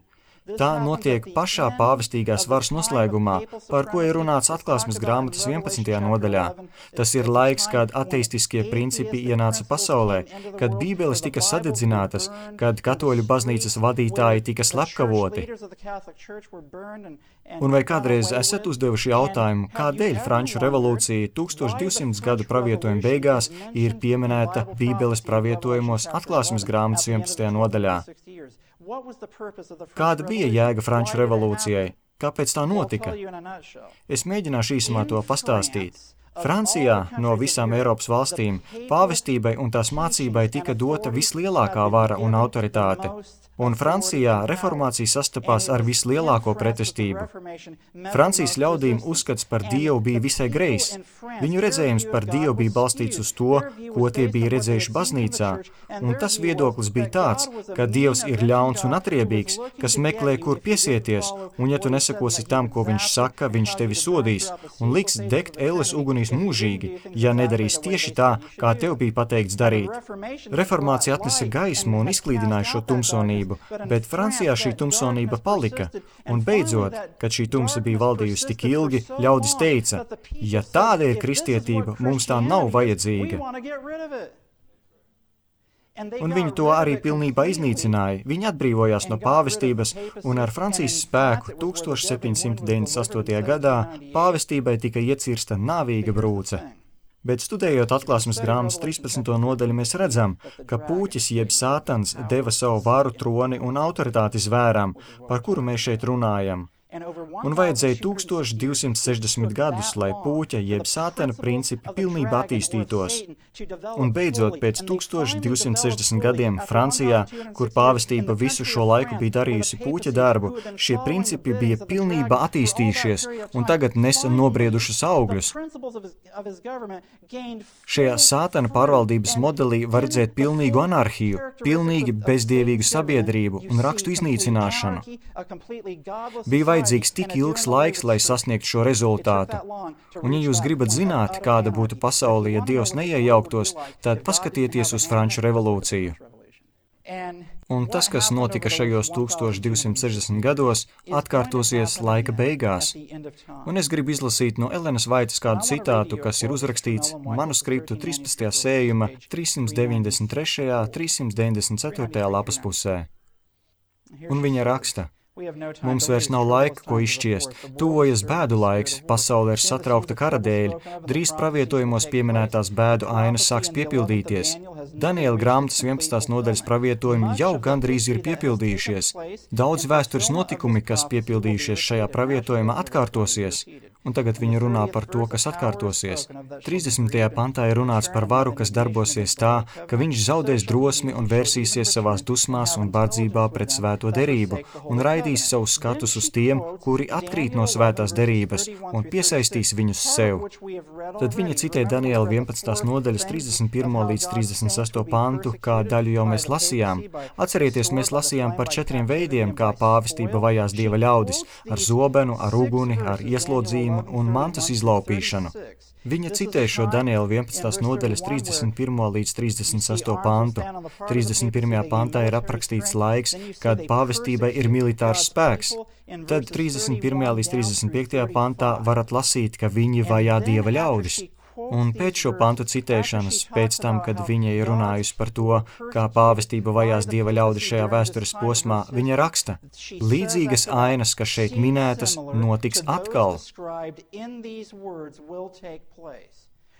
Tā notiek pašā pāvestīgās varas noslēgumā, par ko ir runāts Atklāsmes grāmatas vienpadsmitajā nodaļā. Tas ir laiks, kad ateistiskie principi ienāca pasaulē, kad bībeles tika sadedzinātas, kad katoļu baznīcas vadītāji tika slepkavoti. Un vai kādreiz esat uzdevuši jautājumu, kādēļ Franču revolūcija tūkstoš divsimt gadu pravietojuma beigās ir pieminēta bībeles pravietojumos Atklāsmes grāmatas vienpadsmitajā nodaļā? Kāda bija jēga Franču revolūcijai? Kāpēc tā notika? Es mēģināšu īsumā to pastāstīt. Francijā no visām Eiropas valstīm pāvestībai un tās mācībai tika dota vislielākā vara un autoritāte, un Francijā reformācija sastapās ar vislielāko pretestību. Francijas ļaudīm uzskats par Dievu bija visai greizs. Viņu redzējums par Dievu bija balstīts uz to, ko tie bija redzējuši baznīcā, un tas viedoklis bija tāds, ka Dievs ir ļauns un atriebīgs, kas meklē, kur piesieties, un ja tu nesakosi tam, ko viņš saka, viņš tevi sodīs, un liks degt elles ugunīs mūžīgi, ja nedarīs tieši tā, kā tev bija pateikts darīt. Reformācija atnesa gaismu un izklīdināja šo tumsonību, bet Francijā šī tumsonība palika, un beidzot, kad šī tumsa bija valdījusi tik ilgi, ļaudis teica, ja tāda ir kristietība, mums tā nav vajadzīga. Un viņi to arī pilnībā iznīcināja. Viņi atbrīvojās no pāvestības, un ar Francijas spēku tūkstoš septiņi simti deviņdesmit astotajā gadā pāvestībai tika iecirsta nāvīga brūce. Bet studējot atklāsmes grāmatas trīspadsmito nodaļu, mēs redzam, ka pūķis jeb sātans deva savu varu, troni un autoritāti zvērām, par kuru mēs šeit runājam. Un vajadzēja tūkstoš divsimt sešdesmit gadus, lai pūķa jeb sātana principi pilnībā attīstītos. Un beidzot, pēc tūkstoš divsimt sešdesmit gadiem Francijā, kur pāvestība visu šo laiku bija darījusi pūķa darbu, šie principi bija pilnībā attīstījušies un tagad nesa nobriedušas augļus. Šajā sātana pārvaldības modelī var redzēt pilnīgu anarhiju, pilnīgi bezdievīgu sabiedrību un rakstu iznīcināšanu. Bija vajadzīgs tik ilgs laiks, lai sasniegtu šo rezultātu. Un ja jūs gribat zināt, kāda būtu pasaule, ja Dievs neiejauktos, tad paskatieties uz Franču revolūciju. Un tas, kas notika šajos tūkstoš divsimt sešdesmit gados, atkārtosies laika beigās. Un es gribu izlasīt no Elenas Vaitas kādu citātu, kas ir uzrakstīts manuskriptu trīspadsmitajā sējuma trīssimt deviņdesmit trešajā, trīssimt deviņdesmit ceturtajā lapas pusē. Un viņa raksta: Mums vairs nav laika, ko izšķiest. Tuvojas bēdu laiks, pasaule ir satraukta kara dēļ, drīz pravietojumos pieminētās bēdu ainas sāks piepildīties. Daniela grāmatas vienpadsmitās nodaļas pravietojumi jau gandrīz ir piepildījušies. Daudz vēstures notikumi, kas piepildījušies šajā pravietojumā, atkārtosies. Un tagad viņi runā par to, kas atkārtosies. trīsdesmitajā pantā ir runāts par varu, kas darbosies tā, ka viņš zaudēs drosmi un vērsīsies savās dusmās un bardzībā pret svēto derību un raidīs savus skatus uz tiem, kuri atkrīt no svētās derības un piesaistīs viņus sev. Tad viņi citē Daniela vienpadsmitās nodaļas trīsdesmit pirmo līdz trīsdesmit sesto pantu, kā daļu jau mēs lasījām. Atcerieties, mēs lasījām par četriem veidiem, kā pāvestība vajās Dieva ļaudis - ar zobenu, ar uguni, ar ieslodzījumu un mantas izlaupīšanu. Viņa citē šo Daniela vienpadsmitās nodaļas trīsdesmit pirmo līdz trīsdesmit sesto pantu. trīsdesmit pirmajā pantā ir aprakstīts laiks, kad pāvestībai ir militārs spēks. Tad trīsdesmit pirmajā līdz trīsdesmit piektajā pantā varat lasīt, ka viņi vajā Dieva ļaudis. Un pēc šo pantu citēšanas, pēc tam, kad viņa ir runājusi par to, kā pāvestība vajās Dieva ļaudis šajā vēstures posmā, viņa raksta: līdzīgas ainas, kas šeit minētas, notiks atkal.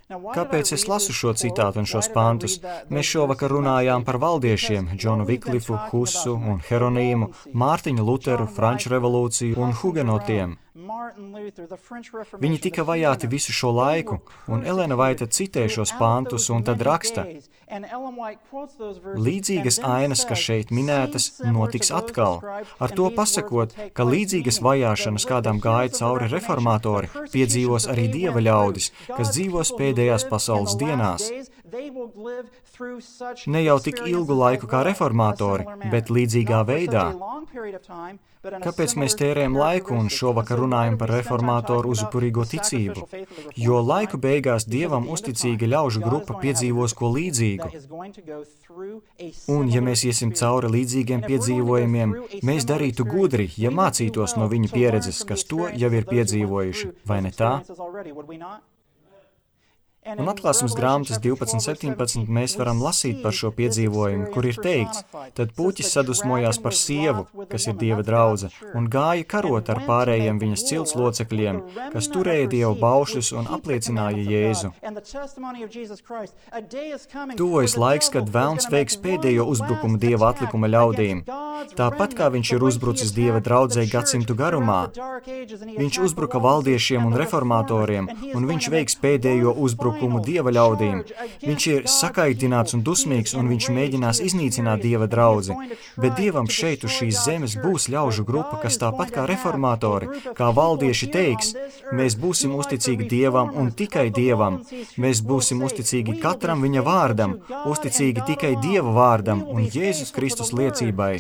Kāpēc es lasu šo citātu un šos pantus? Mēs šovakar runājām par valdiešiem - Džonu Viklifu, Husu un Heronīmu, Mārtiņu Luteru, Franču revolūciju un hugenotiem. Viņi tika vajāti visu šo laiku, un Elena Vaita citē šos pantus un tad raksta: līdzīgas ainas, kas šeit minētas, notiks atkal. Ar to pasakot, ka līdzīgas vajāšanas, kādām gāja cauri reformatori, piedzīvos arī Dieva ļaudis, kas dzīvos pēdējās pasaules dienās. Ne jau tik ilgu laiku kā reformatori, bet līdzīgā veidā. Kāpēc mēs tērējam laiku un šovakar runājam par reformatoru uzupurīgo ticību? Jo laiku beigās Dievam uzticīga ļaužu grupa piedzīvos ko līdzīgu. Un, ja mēs iesim cauri līdzīgiem piedzīvojumiem, mēs darītu gudri, ja mācītos no viņu pieredzes, kas to jau ir piedzīvojuši, vai ne tā? Un atklāsmes grāmatas divpadsmit septiņpadsmit mēs varam lasīt par šo piedzīvojumu, kur ir teikts, tad puķis sadusmojās par sievu, kas ir Dieva draudze, un gāja karot ar pārējiem viņas cilts locekļiem, kas turēja Dieva baušļus un apliecināja Jēzu. Tuvojas laiks, kad velns veiks pēdējo uzbrukumu Dieva atlikuma ļaudīm. Tāpat kā viņš ir uzbrucis Dieva draudzei gadsimtu garumā, viņš uzbruka valdiešiem un reformatoriem, un viņš veiks pēdējo uzbrukumu Dieva ļaudīm. Viņš ir sakaitināts un dusmīgs, un viņš mēģinās iznīcināt Dieva draudzi. Bet Dievam šeit uz šīs zemes būs ļaužu grupa, kas tāpat kā reformatori, kā valdieši teiks, mēs būsim uzticīgi Dievam un tikai Dievam. Mēs būsim uzticīgi katram viņa vārdam, uzticīgi tikai Dieva vārdam un Jēzus Kristus liecībai.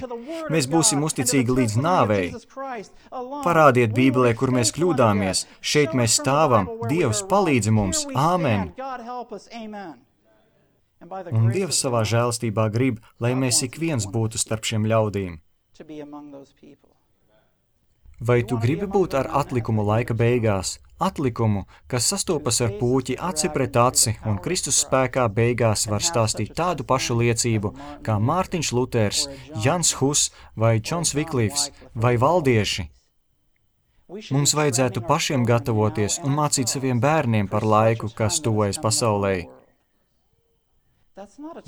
Mēs būsim uzticīgi līdz nāvei. Parādiet Bībelē, kur mēs kļūdāmies. Šeit mēs stāvam. Dievs palīdz mums. Āmen. Un Dievs savā žēlastībā grib, lai mēs ik viens būtu starp šiem ļaudīm. Vai tu gribi būt ar atlikumu laika beigās? Atlikumu, kas sastopas ar pūķi aci pret aci un Kristus spēkā beigās var stāstīt tādu pašu liecību, kā Mārtiņš Luters, Jans Hus vai Džons Viklifs vai valdieši. Mums vajadzētu pašiem gatavoties un mācīt saviem bērniem par laiku, kas tuvojas pasaulē.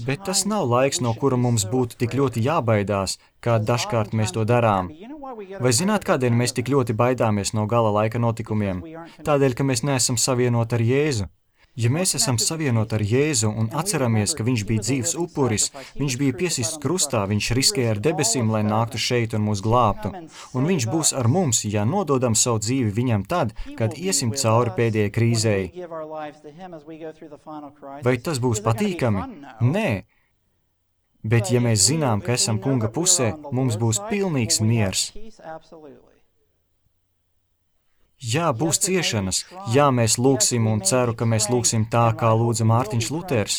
Bet tas nav laiks, no kura mums būtu tik ļoti jābaidās, kā dažkārt mēs to darām. Vai zināt, kādēļ mēs tik ļoti baidāmies no gala laika notikumiem? Tādēļ, ka mēs neesam savienoti ar Jēzu. Ja mēs esam savienoti ar Jēzu un atceramies, ka viņš bija dzīves upuris, viņš bija piesists krustā, viņš riskēja ar debesīm, lai nāktu šeit un mūs glābtu. Un viņš būs ar mums, ja nododam savu dzīvi viņam tad, kad iesim cauri pēdējai krīzei. Vai tas būs patīkami? Nē. Bet ja mēs zinām, ka esam kunga pusē, mums būs pilnīgs miers. Jā, būs ciešanas. Jā, mēs lūgsim un ceru, ka mēs lūgsim tā, kā lūdza Mārtiņš Luters.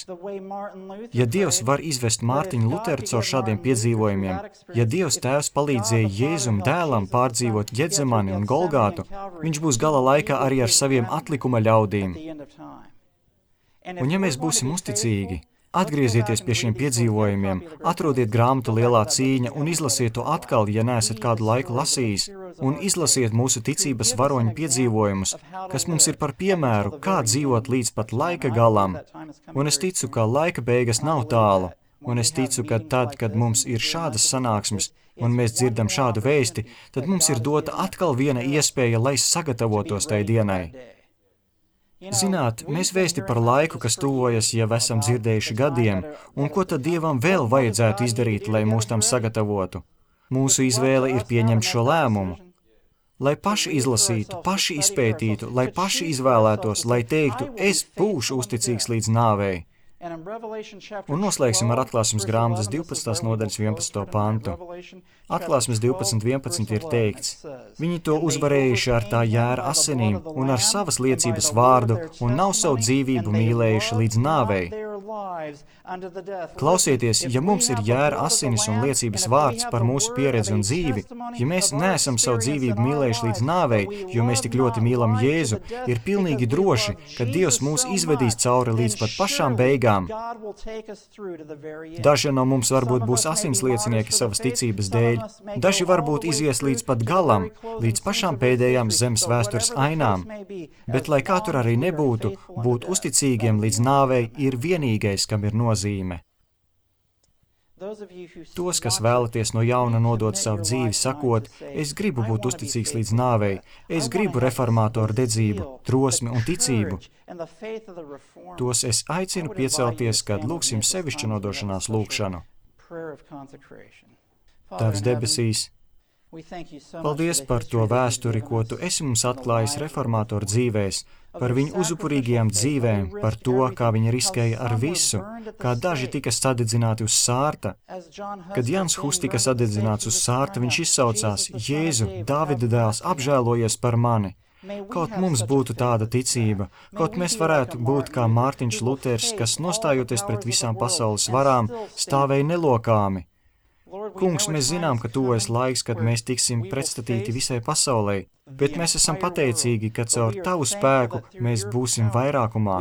Ja Dievs var izvest Mārtiņu Luteru caur šādiem piedzīvojumiem, ja Dievs Tēvs palīdzēja Jēzum dēlam pārdzīvot Ģetsemani un Golgātu, viņš būs gala laikā arī ar saviem atlikuma ļaudīm. Un ja mēs būsim uzticīgi, atgriezieties pie šiem piedzīvojumiem, atrodiet grāmatu Lielā cīņa un izlasiet to atkal, ja neesat kādu laiku lasījis, un izlasiet mūsu ticības varoņu piedzīvojumus, kas mums ir par piemēru, kā dzīvot līdz pat laika galam. Un es ticu, ka laika beigas nav tālu, un es ticu, ka tad, kad mums ir šādas sanāksmes, un mēs dzirdam šādu vēsti, tad mums ir dota atkal viena iespēja, lai sagatavotos tai dienai. Zināt, mēs vēsti par laiku, kas tuvojas, jau esam dzirdējuši gadiem, un ko tad Dievam vēl vajadzētu izdarīt, lai mūs tam sagatavotu? Mūsu izvēle ir pieņemt šo lēmumu. Lai paši izlasītu, paši izpētītu, lai paši izvēlētos, lai teiktu, es būšu uzticīgs līdz nāvei. Un noslēgsim ar atklāsmes grāmatas divpadsmitās nodaļas vienpadsmito pantu. Atklāsmes divpadsmit vienpadsmit ir teikts, viņi to uzvarējuši ar tā jēra asinīm un ar savas liecības vārdu un nav savu dzīvību mīlējuši līdz nāvei. Klausieties, ja mums ir jēra asinis un liecības vārds par mūsu pieredzi un dzīvi, ja mēs neesam savu dzīvību mīlējuši līdz nāvei, jo mēs tik ļoti mīlam Jēzu, ir pilnīgi droši, ka Dievs mūs izvedīs cauri līdz pat pašām beigām. Daži no mums varbūt būs asinsliecinieki savas ticības dēļ, daži varbūt izies līdz pat galam, līdz pašām pēdējām zemes vēstures ainām, bet, lai kā tur arī nebūtu, būt uzticīgiem līdz nāvei ir vienīgais, kam ir nozīme. Tos, kas vēlaties no jauna nodot savu dzīvi, sakot, es gribu būt uzticīgs līdz nāvei, es gribu reformātoru dedzību, drosmi un ticību. Tos es aicinu piecelties, kad lūgsim sevišķu nodošanās lūgšanu. Tavs debesīs, paldies par to vēsturi, ko tu esi mums atklājis reformātoru dzīvēs, par viņu uzupurīgajām dzīvēm, par to, kā viņi riskēja ar visu, kā daži tika sadedzināti uz sārta. Kad Jans Hus tika sadedzināts uz sārta, viņš izsaucās, Jēzu, Dāvida dēls, apžēlojies par mani. Kaut mums būtu tāda ticība, kaut mēs varētu būt kā Mārtiņš Luters, kas nostājoties pret visām pasaules varām, stāvēja nelokāmi. Kungs, mēs zinām, ka tuvojas laiks, kad mēs tiksim pretstatīti visai pasaulē, bet mēs esam pateicīgi, ka caur Tavu spēku mēs būsim vairākumā.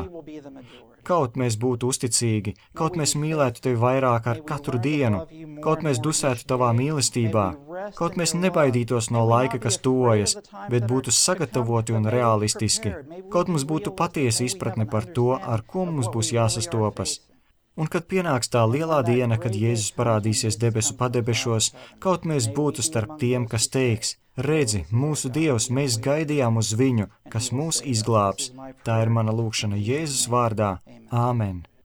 Kaut mēs būtu uzticīgi, kaut mēs mīlētu Tevi vairāk ar katru dienu, kaut mēs dusētu Tavā mīlestībā, kaut mēs nebaidītos no laika, kas tuvojas, bet būtu sagatavoti un realistiski, kaut mums būtu patiesa izpratne par to, ar ko mums būs jāsastopas. Un kad pienāks tā lielā diena, kad Jēzus parādīsies debesu padebešos, kaut mēs būtu starp tiem, kas teiks, redzi, mūsu Dievs, mēs gaidījām uz viņu, kas mūs izglābs. Tā ir mana lūgšana Jēzus vārdā. Āmen.